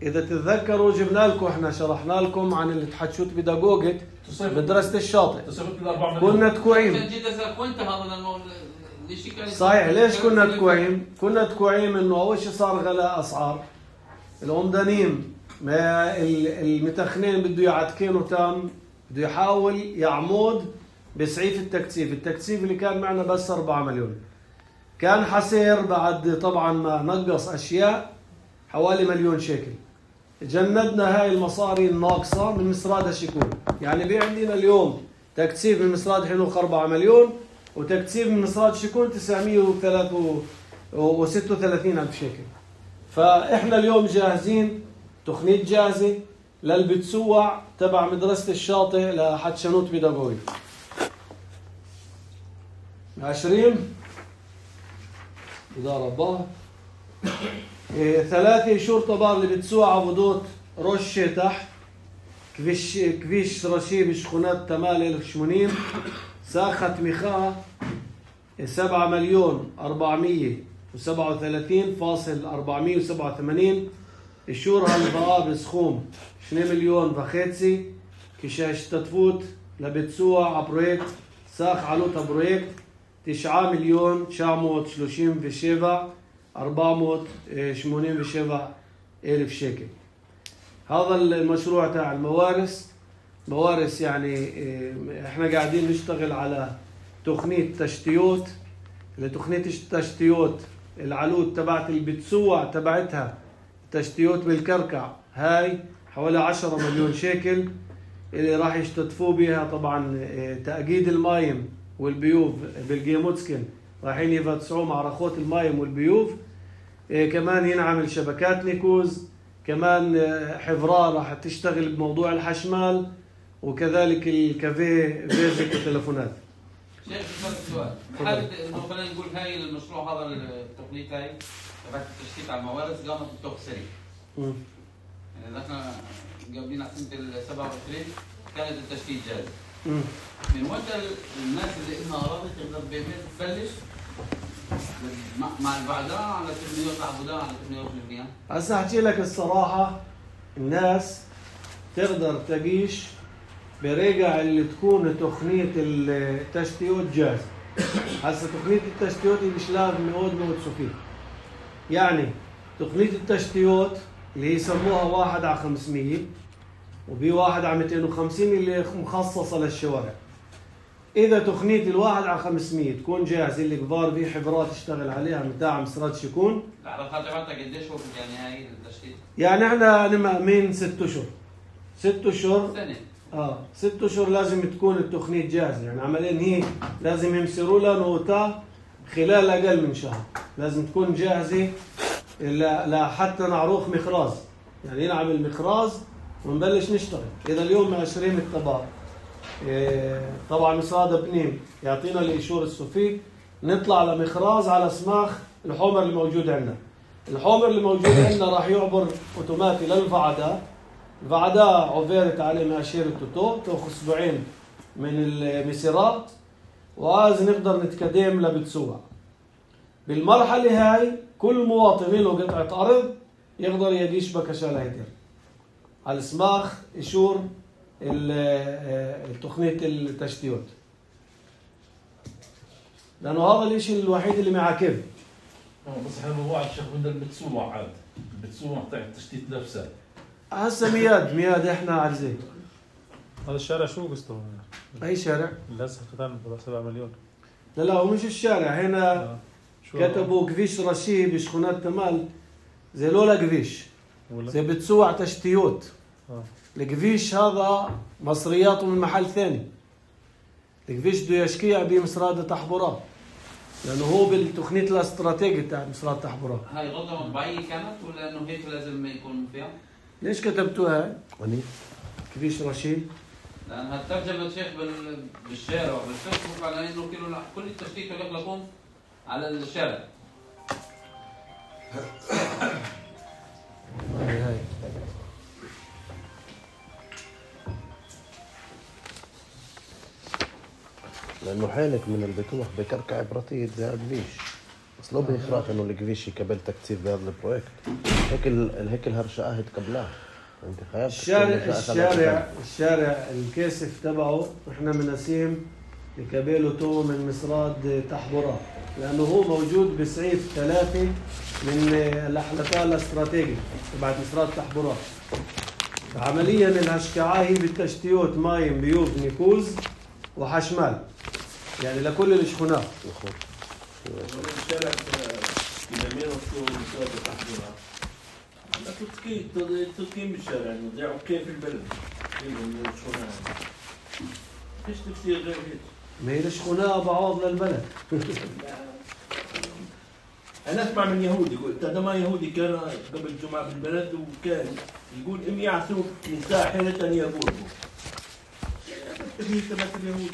إذا تتذكروا جبنا لكم إحنا شرحنا لكم عن اللي تحتشوت بدقوقة بدراسة الشاطئ كنا تكوعيم صحيح. ليش كنا تكوعيم؟ كنا تكوعيم إنه أول شيء صار غلاء أسعار العمدانيم ما المتخنين بده يعتكينه تام بده يحاول يعمود بسعيف التكثيف. التكثيف اللي كان معنا بس أربعة مليون كان حسير بعد طبعا ما نقص أشياء حوالي مليون شيكل. جندنا هاي المصاري الناقصة من مصراد الشكون. يعني بي عندنا اليوم تكثيف من مصراد حنوخ أربعة مليون وتكثيف من مصراد الشكون تسعمية وثلاثة وستة وثلاثين ألف شيكل. فإحنا اليوم جاهزين تخنيت جاهزة للبتسوع تبع مدرسة الشاطئ لحتشنوت بيداغوي. عشرين إدارة باه إيه ثلاثة شرطة بار اللي بتسوع عبودوت رشة تحت كفيش كفيش رشيب شخونات تمال ألف وثمانين ساخة مخاء سبعة مليون أربعمية وسبعة وثلاثين فاصل أربعمية وسبعة وثمانين. الشور هالبقى بسخوم اثنين مليون وخمسة كشاش تتفوت لبتسوع عبرويكت ساخ علوتها برويكت تسعة مليون تسعمية وثلاثين وسبعة أربعمية وثمانين وسبعة ألف شيكل. هذا المشروع تاع الموارث موارث. يعني احنا قاعدين نشتغل على تقنية تشتيوت لتقنية التشتيوت العلوت تبعت البتسوع تبعتها تشتيوت بالكركع هاي حوالي عشرة مليون شيكل اللي راح يشتتفوا بها. طبعا تأكيد المايم والبيوف بالجيموتسكن رايحين يفتسعوا مع رخوت المايم والبيوف. كمان ينعمل شبكات نيكوز كمان حفرة راح تشتغل بموضوع الحشمال وكذلك الكافيه فيزيك والتلفونات. شيخ سؤال بحال انه خلينا نقول هاي المشروع هذا التقنية هاي تبعت التشتيت على الموارث قامت بالطوق السريع. يعني احنا قبلين على سنة ال سبعة وعشرين كانت التشتيت جاهز. من وقت الناس اللي انها اراضي تقدر ببيت تبلش مع البعداء على تبنيات العبوداء على تبنيات البنيان. هسه احكي لك الصراحة الناس تقدر تعيش برجع اللي تكون تقنية التشتيوت جاهزة. هسه تقنية التشتيوت مش لازم نقعد نوصف فيه. يعني تقنية التشتيوت اللي يسموها واحد على خمسمية وبي واحد على مئتين وخمسين اللي مخصصة للشوارع. إذا تقنية الواحد على خمسمية تكون جاهزة اللي كبار في حفرات تشتغل عليها متاع مسرات شكون. العلاقات تبعتها قديش وقت يعني هاي التشتيت؟ يعني احنا مأمين ست أشهر. ست أشهر. سنة. اه ست اشهر لازم تكون التقنية جاهزة. يعني عمليا هي لازم يمسروا لها نوتا خلال أقل من شهر. لازم تكون جاهزة لحتى نعروخ مخراز، يعني نعمل مخراز ونبلش نشتغل. إذا اليوم عشرين اكتوبر طبعا مصراد بنيم يعطينا الإيشور السوفي، نطلع لمخراز على سماخ الحمر اللي موجود عندنا. الحمر اللي موجود عندنا راح يعبر اوتوماتي للفعداء. الفعداء عبرت عليه ماشير التوتو، تاخذ اسبوعين من المسيرات، وعايز نقدر نتقدم لبتسوع. بالمرحلة هاي كل مواطن له قطعة أرض يقدر يجيش بكشة لهيتر على سماخ إيشور التقنية التشتيات، لأنه هذا الإشي الوحيد اللي معاكب. بس احنا هو على الشيخ بدنا البتسوع عاد، البتسوع تاع التشتيت نفسها. هسه مياد مياد احنا على زي. هذا الشارع شو قصته؟ أي شارع؟ للأسف ختان سبعة مليون. لا لا هو مش الشارع هنا. آه. كتبوا كفيش رشي بشخونات تمال زي لولا كفيش زي بتسوع تشتيوت. آه. الكفيش هذا مصرياته من محل ثاني. الكفيش بده يشكيع بمصراد تحبورات لأنه هو بالتقنية الاستراتيجية تاع مصراد تحبورات. هاي غلطة مطبعية كانت ولا إنه هيك لازم يكون فيها؟ ليش كتبتوها هاي؟ كفيش رشي؟ لأن هالترجمة الشيخ بالشارع وبالفيسبوك على إنه كل التشتيت يغلقون على الشارع. هاي هاي لأنه حالك من البتوح بكركع برتيد زي الكفيش، بس لو بيخراف إنه الكفيش يقبل تكثيف بهذا البروجكت. هيك ال هيك الهرشقة هتقبلها. أنت خايف الشارع الشارع الشارع الكاسف تبعه إحنا مناسيم لكابيلو تو من مصراد تحبورات، لأنه هو موجود بسعيف ثلاثة من الأحلفاء الاستراتيجي تبعت مصراد تحبورات. عمليا الهشكعة هي بالتشتيوت مايم بيوب نيكوز وحشمال، يعني لكل الشخونات. الشارع يمين وشو مصراد تحبورات. لا تسكين تسكين بالشارع إنه ضيعوا كيف البلد من الشخونات. فيش تفسير غير هيك. ما هي الشخونة بعوض للبلد. أنا أسمع من يهودي يقول هذا ما يهودي كان قبل الجمعة بالبلد وكان يقول إم يعصوا من ساحرة يبوه. تبني تبعت اليهود.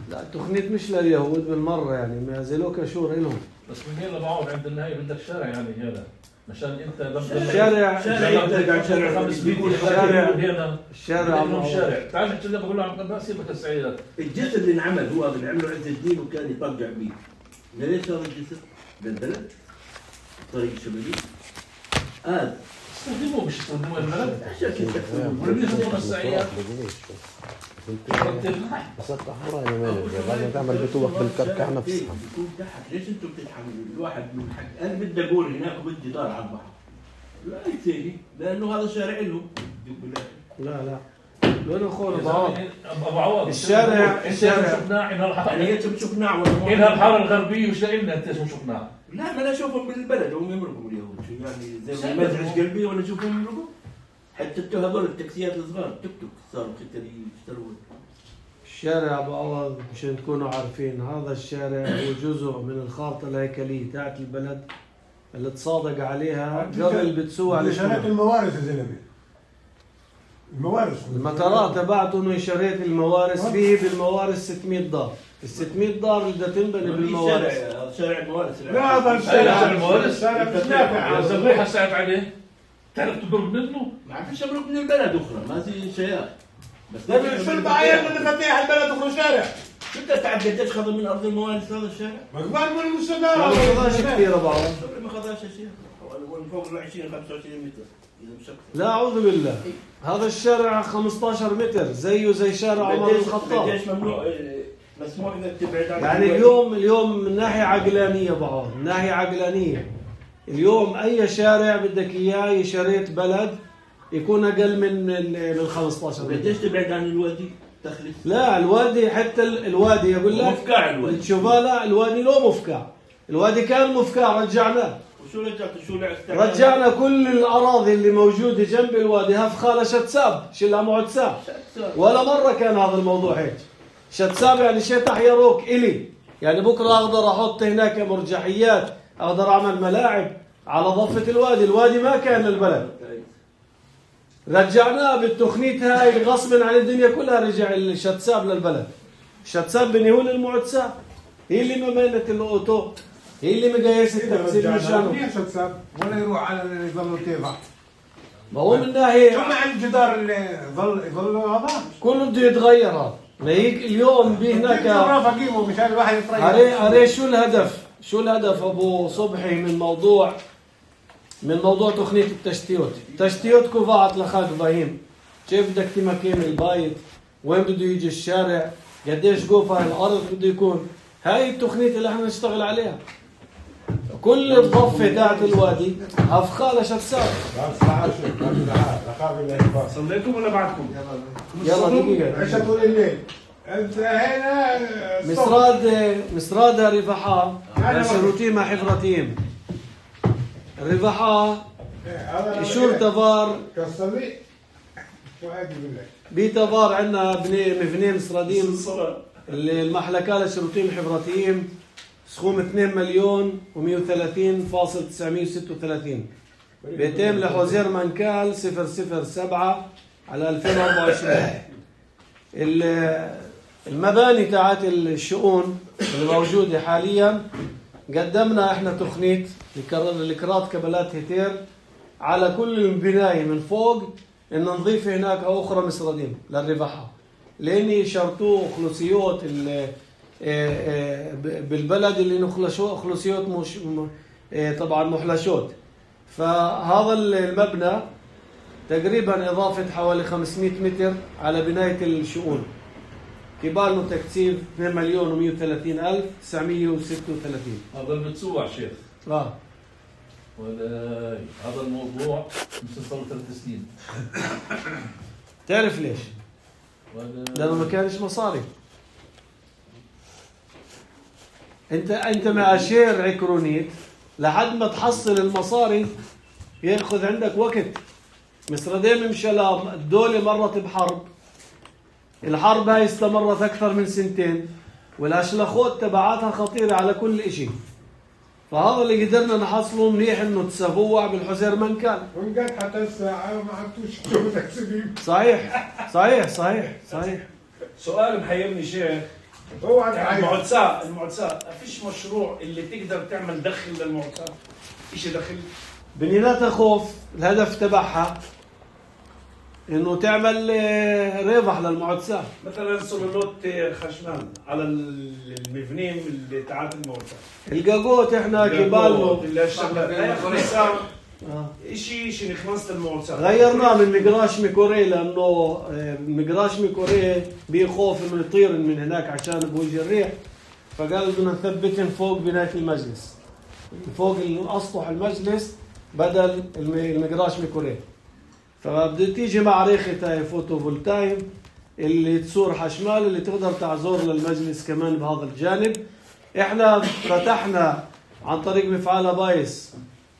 لا التقنية مش لليهود بالمرة يعني ما زلوك شور إلهم. بس من هنا بعوض عند النهاية بدك شارع يعني هذا. مشان انت لما شارع شارع ترجع شارع خمس بيقول الشارع هنا الشارع شارع تعال كذا بقول له عم سيبك السعيدات. الجسر اللي انعمل هو اللي عمله عز الدين وكان يطلع بيه. ليش هذا الجسر؟ بالبلد طريق شمالي هذا استخدموه مش استخدموه البلد عشان كذا ولم يخدموا السعيدات بس التحبورة يعني مالك لازم تعمل بتوح بالكركع نفسها. يكون تحت ليش انتم بتتحملوا الواحد من حق انا بدي اقول هناك بدي دار على البحر لا يتسيني لانه هذا شارع لهم. لا لا لونه خور بعوض ابو عوض الشارع الشارع شفناه انها الحاره يعني انت بتشوفنا ولا انها الحاره الغربيه وش لنا انت شو شفناه؟ لا ما انا اشوفهم بالبلد هم يمرقوا اليهود شو يعني زي ما مزعج قلبي وانا اشوفهم يمرقوا حتى هذول التاكسيات الصغار توك توك صاروا كتير يشترون. الشارع ابو عوض مشان تكونوا عارفين هذا الشارع هو جزء من الخارطه الهيكليه تاعت البلد اللي تصادق عليها قبل بتسوع على شريت الموارث يا زلمه. الموارث المطارات تبعته انه شريت الموارث فيه بالموارث ستمية دار، ال ستمية دار اللي بدها تنبني بالموارث. هذا شارع الموارث لا هذا الشارع الموارث شارع مش نافع. الزبيحه ساعد عليه تعرف تضرب منه؟ ما فيش امرك من البلد اخرى ما في شيء بس شو البعاية اللي فتح البلد اخرى شارع؟ انت تعرف قديش خذ من ارض الموارث هذا الشارع؟ مقبال من المستدار ما خذاش كثير ابو عوض. ما خذاش شيء فوق ال عشرين خمسة وعشرين متر اذا مش اكثر. لا اعوذ بالله هذا الشارع خمسة عشر متر زيه زي شارع عمر الخطاب. قديش ممنوع مسموح انك تبعد عن يعني اليوم اليوم من ناحيه عقلانيه بعض من ناحيه عقلانيه اليوم اي شارع بدك اياه شريت بلد يكون اقل من من خمسة عشر. قديش تبعد عن الوادي تخلص؟ لا الوادي حتى الوادي يقول لك مفكع الوادي تشوفها لا الوادي لو مفكع الوادي كان مفكع رجعناه. وشو رجعت شو رجعنا كل الاراضي اللي موجوده جنب الوادي هفخاله شتساب شلها معتساب ولا مره كان هذا الموضوع هيك. شتساب يعني شتح يروك الي يعني بكرة أقدر أحط هناك مرجحيات، أقدر أعمل ملاعب على ضفة الوادي. الوادي ما كان للبلد، رجعناه بالتخنيت هاي غصبا عن الدنيا كلها. رجع الشتساب للبلد. الشتساب بنيهون المعتساب، هي اللي ممينة الأوتو، هي اللي مقايسة التقسيم مشانه. ليه شتساب ولا يروح على اللي يظلوا تيضع؟ ما هو من ناحية شو مع الجدار اللي ظل يظل هذا؟ كله بده يتغير. هذا لهيك اليوم بهناك مشان الواحد يتريح. عليه عليه شو الهدف؟ شو الهدف ابو صبحي من موضوع من موضوع تقنية التشتيت؟ تشتيت كوفاعت لخاك ابراهيم، كيف بدك تمكن البيت؟ وين بده يجي الشارع؟ قديش قوفة الارض بده يكون؟ هاي التقنية اللي احنا نشتغل عليها. كل الضفة تاعت الوادي افخاله شتساب. صليتوا ولا بعدكم؟ يلا دقيقة. عشاء طول الليل. انت هنا مسراد مسراد رفحاء شروتيم حفرتيم. الرفحاء شور تفار كسرني وعادي بالله. بيتفار عندنا بني مفنين مسراديم المحلكة لشروتيم حفرتيم سخوم اثنين مليون ومئة وثلاثين فاصل تسعمئة وستة وثلاثين. بيتم لحوزير منكال صفر صفر سبعة على ألفين وأربعة وعشرين. المباني تاعت الشؤون الموجودة حاليا قدمنا احنا تخنيت لكرات كبلات هتير على كل البناية من فوق ان نضيف هناك اخرى مسردين للرفحة، لان يشرطوا خلوصيات بالبلد اللي نخلشوا خلوصيات مش طبعا محلشات. فهذا المبنى تقريبا اضافة حوالي خمسمئة متر على بناية الشؤون، كبالنا تكثيف اثنين مليون ومئة وثلاثين ألف وتسعمئة وستة وثلاثين. هذا المتسوع شيخ. اه ولا هذا الموضوع مش صار ثلاث سنين. تعرف ليش؟ لأنه ما كانش مصاري. انت انت مع شير عكرونيت لحد ما تحصل المصاري ياخذ عندك وقت. مسردين مشلام الدولة مرت بحرب، الحرب هاي استمرت أكثر من سنتين، والأشلخوت تبعاتها خطيرة على كل إشي. فهذا اللي قدرنا نحصله منيح إنه تسبوع بالحزير منكال. ونقعد حتى الساعة ما عدتوش شو تكسبين. صحيح صحيح صحيح صحيح. سؤال محيرني شيخ. هو المعتسى المعتسى ما فيش مشروع اللي تقدر تعمل دخل للمعتسى؟ إيش دخل؟ بنيناتها خوف، الهدف تبعها انه تعمل ربح للمعتسى. مثلا سولولوت خشمان على المبنين اللي تعات المعتسى. الجاجوت احنا كبالنا شيء شيء نخلص المعتسى غيرناه من مقراش ميكوري، لانه مقراش ميكوري بيخوف انه يطير من هناك عشان بوجه الريح، فقال بدنا نثبتهم فوق بناية المجلس، فوق اسطح المجلس بدل المقراش ميكوري. فبدها تيجي مع ريخة فوتو فولتايم اللي تصور حشمال اللي تقدر تعزور للمجلس كمان بهذا الجانب. احنا فتحنا عن طريق مفعال بايس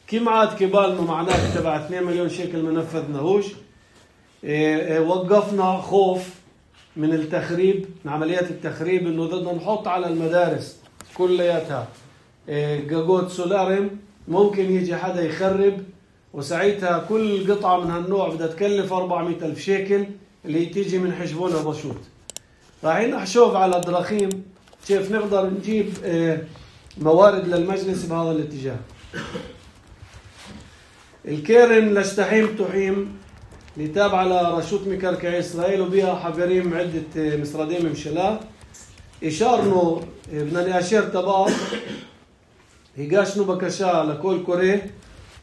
كم عاد كبالنا معناه تبع اثنين مليون شيكل ما نفذناهوش. اه اه وقفنا خوف من التخريب، من عمليات التخريب، انه بدنا نحط على المدارس كلياتها اه جاجوت سولاريم، ممكن يجي حدا يخرب وساعتها كل قطعة من هالنوع بدها تكلف أربعمئة ألف شيكل اللي تيجي من حجبونها بشوط. رايحين نحشوف على دراخيم كيف نقدر نجيب موارد للمجلس بهذا الاتجاه. الكيرن لشتحيم تحيم اللي تابعة لرشوت مكركعي إسرائيل وبيها حجرين عدة مسردين ممشلا إشارنو بدنا نأشير تبار هيقاشنو بكشا لكل كوري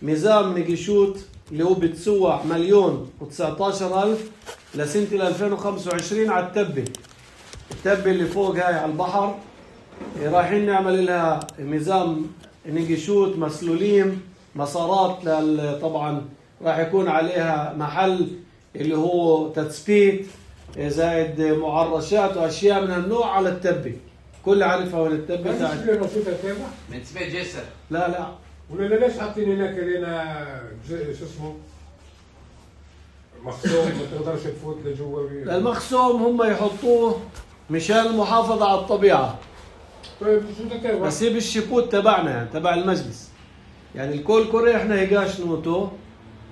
ميزان نجيشوت اللي هو بتسوع مليون وتسعة عشر ألف لسنة ألفين وخمسة وعشرين على التبة. التبة اللي فوق هاي على البحر رايحين نعمل لها ميزان نجيشوت مسلولين مسارات طبعا راح يكون عليها محل اللي هو تثبيت زائد معرشات واشياء من هالنوع على التبة. كل عارفها وين التبة تاعت من تبع جسر. لا لا ولا ليش حاطين هناك لنا شو اسمه مخصوم ما تقدرش تفوت لجوا. المخصوم هم يحطوه مشان المحافظة على الطبيعة، طيب شو بدك بس هي بالشيبوت تبعنا يعني تبع المجلس. يعني الكول كوري احنا هيجاش نوتو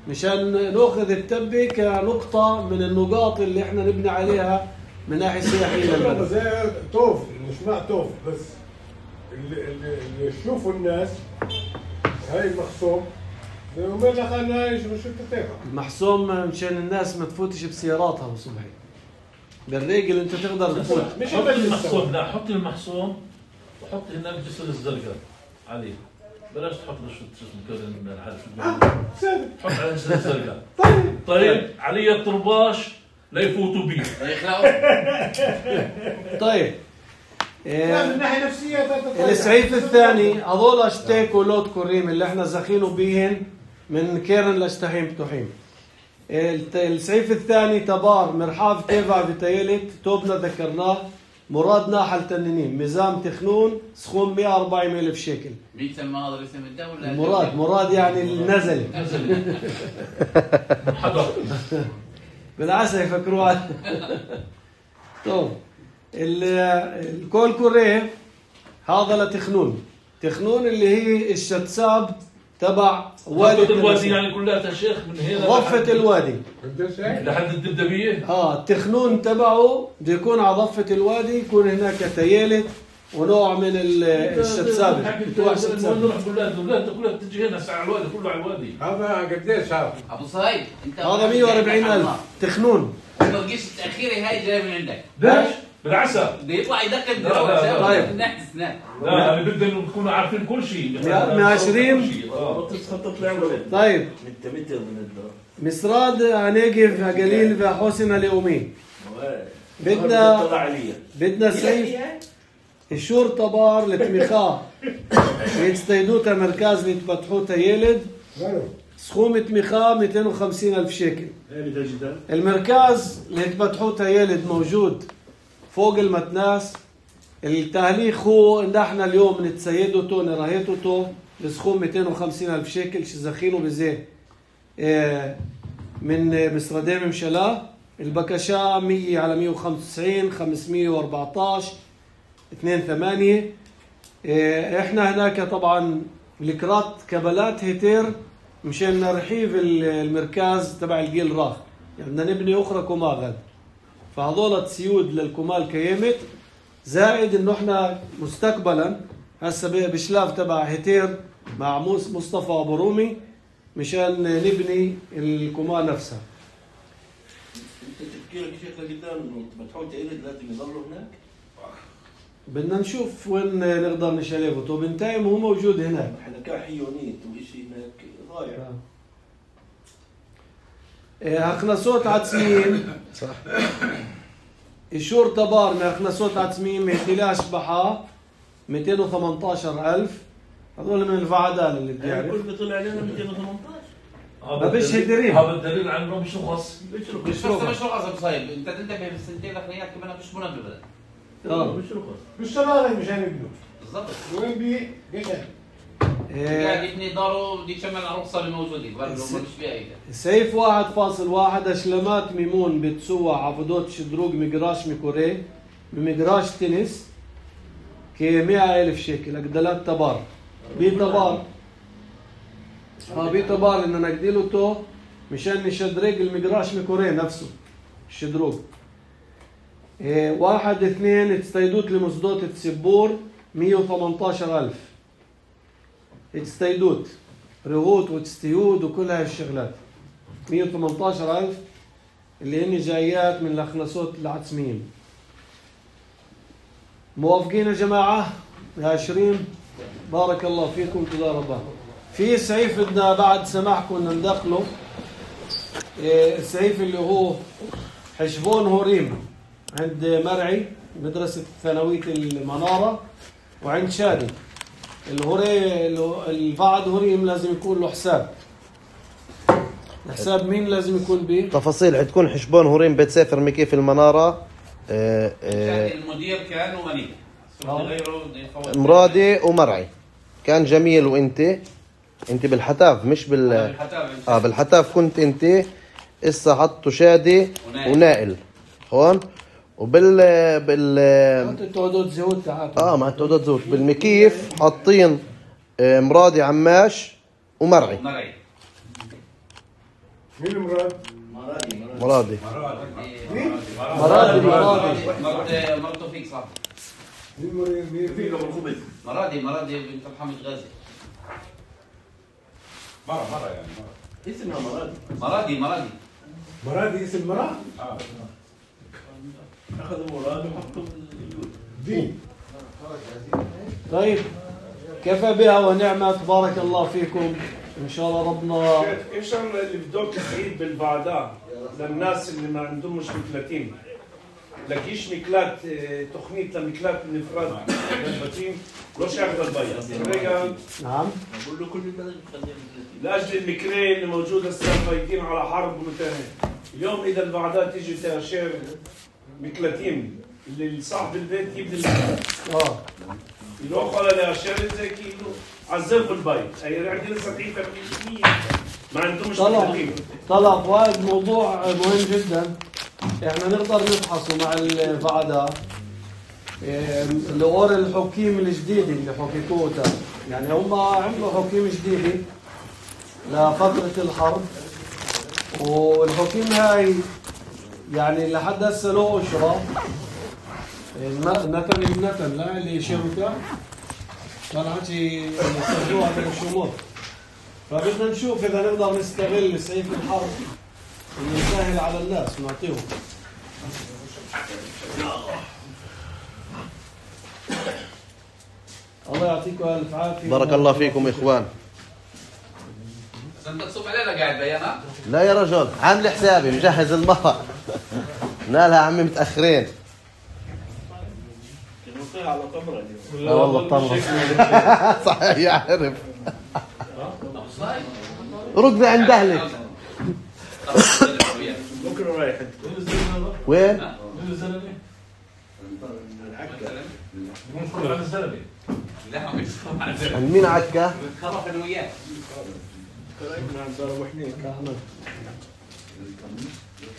مشان ناخذ التبة كنقطة من النقاط اللي احنا نبني عليها من ناحية سياحية للبلد. زي توف مش مع توف بس اللي اللي اللي يشوفوا الناس هاي المخصوم زي ما لك انا هاي شو شو بتتابع. المحسوم مشان الناس ما تفوتش بسياراتها بصبحي. بالريق اللي انت تقدر تفوت. مش حط المحصوم، لا حط المحصوم وحط هناك جسر الزرقاء عليه. بلاش تحط له شو اسمه كذا من الحلف. حط على جسر الزرقاء. طيب طيب علي الطرباش لا يفوتوا بيه. طيب. لا من ناحية نفسية. السعيف الثاني هذول اشتيك ولود كريم اللي احنا زخينوا بيهن من كيرن لاشتهيم تحيم. السعيف الثاني تبار مرحاف تيفا بتايلت توبنا ذكرناه مراد ناحل تنينين ميزام تخنون سخون مئة وأربعين ألف شيكل. مين سمى هذا اسم الدولة؟ مراد مراد يعني النزل. نزل. حضر. بالعسى يفكروها. طب الكول كوري هذا لتخنون. تخنون اللي هي الشتساب تبع وادي الوادي يعني كلها شيخ من هنا ضفة الوادي لحد الدبدبية. اه التخنون تبعه بده يكون على ضفة الوادي يكون هناك تيالت ونوع من الشتساب. نروح نقول له الاولاد كلها بتجي هنا على الوادي كله على الوادي. هذا قديش هذا؟ ابو صهيب انت هذا مئة وأربعين ألف تخنون. الترقيش التأخيري هاي جاي من عندك. ليش؟ بالعسى بده يطلع يدقق لا طيب الناس لا لا انا بدنا نكونوا عارفين كل شيء. مئة وعشرين طيب انت متر من الدار مسراد عنيقف قليل وحسن اليومين بدنا بدنا سيف الشور طبار لتمخاه يتستيدوتا مركز ليتفتحوتا يلد سخوم تمخاه مئتين وخمسين ألف شيكل. المركز ليتفتحوتا يلد موجود فوق المتناس. التهليخ هو ان احنا اليوم نتسيدوتو نراهيتوتو لسخوم مئتين وخمسين ألف شيكل شزخينه بزي من مسردين ممشلا. البكشا مية على مئة وخمسة وتسعين خمسمئة وأربعة عشر اثنين ثمانية. احنا هناك طبعا الكرات كبلات هيتير مشان نرحيف المركز تبع الجيل راخ يعني بدنا نبني اخرى كوماغد فهذول سيود للكمال كيمت زائد انه احنا مستقبلا هسه بشلاف تبع هيتير مع مصطفى ابو رومي مشان نبني الكمال نفسها. انت تفكيرك شيخ قدام انه بتحط ايدك لازم يضلوا هناك؟ بدنا نشوف وين نقدر نشلفه وبنتايم هو موجود هناك. احنا كحيونيت وشيء هناك ضايع. اخنسوت عتسمين صح. الشور طبار من اخنسوت عتسمين مهتلاش بحا مئتين وثمانية عشر ألف. هذول من الفعدان اللي بتعرف. كل بيطلع علينا مئتين وثمانية عشر. ما بيش هيدريم. هذا الدليل على انه مش رخص. مش رخص مش رخص ابو صهيب. انت تنتبه بالسنتين الاخرانيات كمان مش منبه. اه مش رخص. مش شغالين مشان يبنوا. بالضبط. وين بي قشن. قاعد يبني داره دي شمل الرخصه اللي موجوده برضه مش فيها اي سيف واحد فاصل واحد اشلمات ميمون بتسوى عبودات شدروق مقراش ميكوري بمقراش تنس كي مئة ألف شيكل اقدلات تبار بي تبار اه بي تبار اننا نقديله تو مشان نشدرق المقراش ميكوري نفسه الشدروق. إيه واحد اثنين تستيدوت لمصدوت تسبور مئة وثمانية عشر ألف تستيدوت رغوت وتستيود وكل هاي الشغلات مئة وثمانية عشر ألف اللي هن جايات من الأخنسوت العتسميين. موافقين يا جماعة يا عشرين بارك الله فيكم تضاربا. في سعيف بدنا بعد سماحكم ندخله السعيف اللي هو حشبون هوريم عند مرعي مدرسة ثانوية المنارة وعند شادي. الهوري البعد هوريم لازم يكون له حساب. حساب مين لازم يكون به؟ تفاصيل حتكون حشبون هوريم بيت سافر مكي في المنارة. اه اه المدير كان وغني غيره مرادي ومرعي كان جميل وانت انت بالحتاف مش بال بالحتاف اه بالحتاف كنت انت. اسا حطوا شادي ونائل هون وبال بال انت تعدد زيوت تعال اه مع التعدد زيوت. بالمكيف حاطين آه، مرادي عماش ومرعي. مرعي. مين مراد؟ مرادي مرادي مرادي مرادي مراد مراد توفيق صح. مين مريض؟ مين في له الخبز. مرادي مرادي بنت محمد غازي. مرة مرة يعني مرة. اسمها مرادي. مرادي مرادي. مرادي اسم مراد؟ اخذوا مراد وحطوا الجود. دين. طيب كفى بها ونعمة. تبارك الله فيكم ان شاء الله ربنا. ايش اللي بدك تعيد بالبعداء للناس اللي ما عندهمش مكلاتين؟ لكيش مكلات تخنيت لمكلات النفراد للبتين لوش ياخذ البيض؟ نعم. بقول له كل البلد خليهم لاجل المكرين اللي موجوده السنه فايتين على حرب ومنتهي. اليوم اذا البعداء تيجي تاشير مكلاتين اللي صاحب البيت يبني المكلات. اه يروح على الاشياء زي كيلو عذبوا البيت. اي عندي لسه ضعيفه بالمية ما عندهمش طلع مكلاتين. طلع وهذا موضوع مهم جدا. احنا نقدر نفحصه مع البعداء الأور الحكيم الجديدة اللي حكيتوه. يعني هم عملوا حكيم جديدة لفترة الحرب، والحكيم هاي يعني لحد هسه له أشرة نتن النتن لا اللي شركة طلعت يستخدموها بالشمول. فبدنا نشوف إذا نقدر نستغل سيف الحرب ونسهل على الناس ونعطيهم. الله يعطيكم الف عافيه. بارك الله فيكم إخوان. بس انت تصب علينا قاعد بيانا؟ لا يا رجل عامل حسابي مجهز الماء. نالها عمي متأخرين. نوقيها على طمرة اليوم. لا والله الطمرة صحيح يعرف. ركبي عند أهلك. بكره رايح وين؟ ممكن على الزلمة. لا مش على الزلمة. عند مين عكا؟ خرف انا وياه. قريبنا عند دار وحنيك احمد.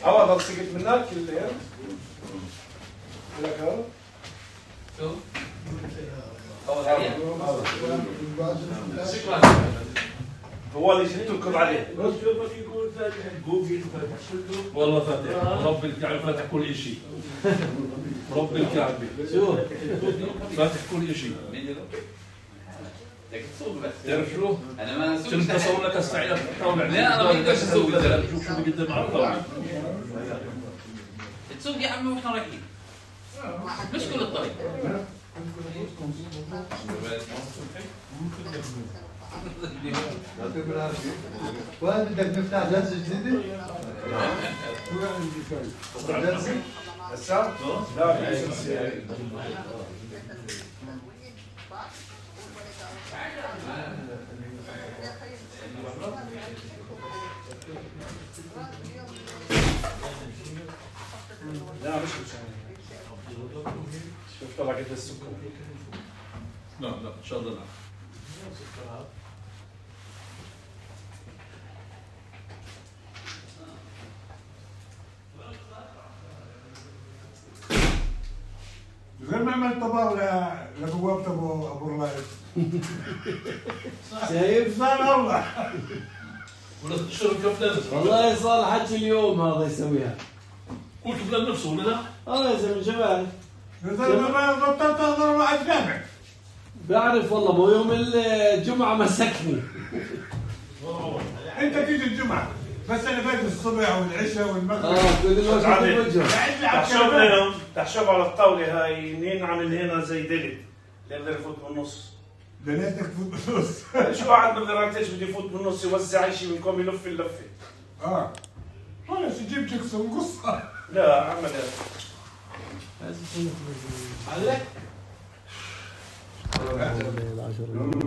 عوض سقيت منك الليل. لك هذا؟ شو؟ شكرا. هو اللي جبتكم عليه. بس شوفك يكون فاتح جوجل فاتح كله. والله فاتح رب الكعبة فاتح كل شيء. رب الكعبة شو فاتح كل شيء. بدك تسوق بس. تعرف شو؟ انا ما اسوق. كنت اصور لك استعيد الطاولة. لا انا ما بقدرش اسوق. شوف شو بقدم على الطاولة. تسوق يا عمي واحنا رايحين. مش كل الطريق. يعطيكم العافية. وين بدك نفتح جلسة جديدة؟ جلسة؟ هسه؟ لا في جلسة. لا مش مشان. شوف طلع قد السكر. لا لا ان شاء الله لا. غير ما عملت طبق لبوابة ابو ابو الرائد. شايف؟ صار الله. ولا تشرب كفلان. والله صار حكي اليوم هذا يسويها. هو كفلان نفسه ولا لا؟ اه يا زلمه جمال. يا زلمه ما بطلت احضر واحد جامع. بعرف والله مو يوم الجمعه مسكني. انت تيجي الجمعه بس انا باجي الصبح والعشاء والمغرب. اه كل الوقت بالوجه. تحشوف اليوم تحشوف على الطاوله هاي مين عامل هنا زي ديلت يقدر يفوت بالنص. دنيتك تفوت بالنص. شو واحد بقدر ايش بده يفوت بالنص يوزع شيء منكم يلف اللفه. اه خلص جيب جكسون قصه. لا عمل عليك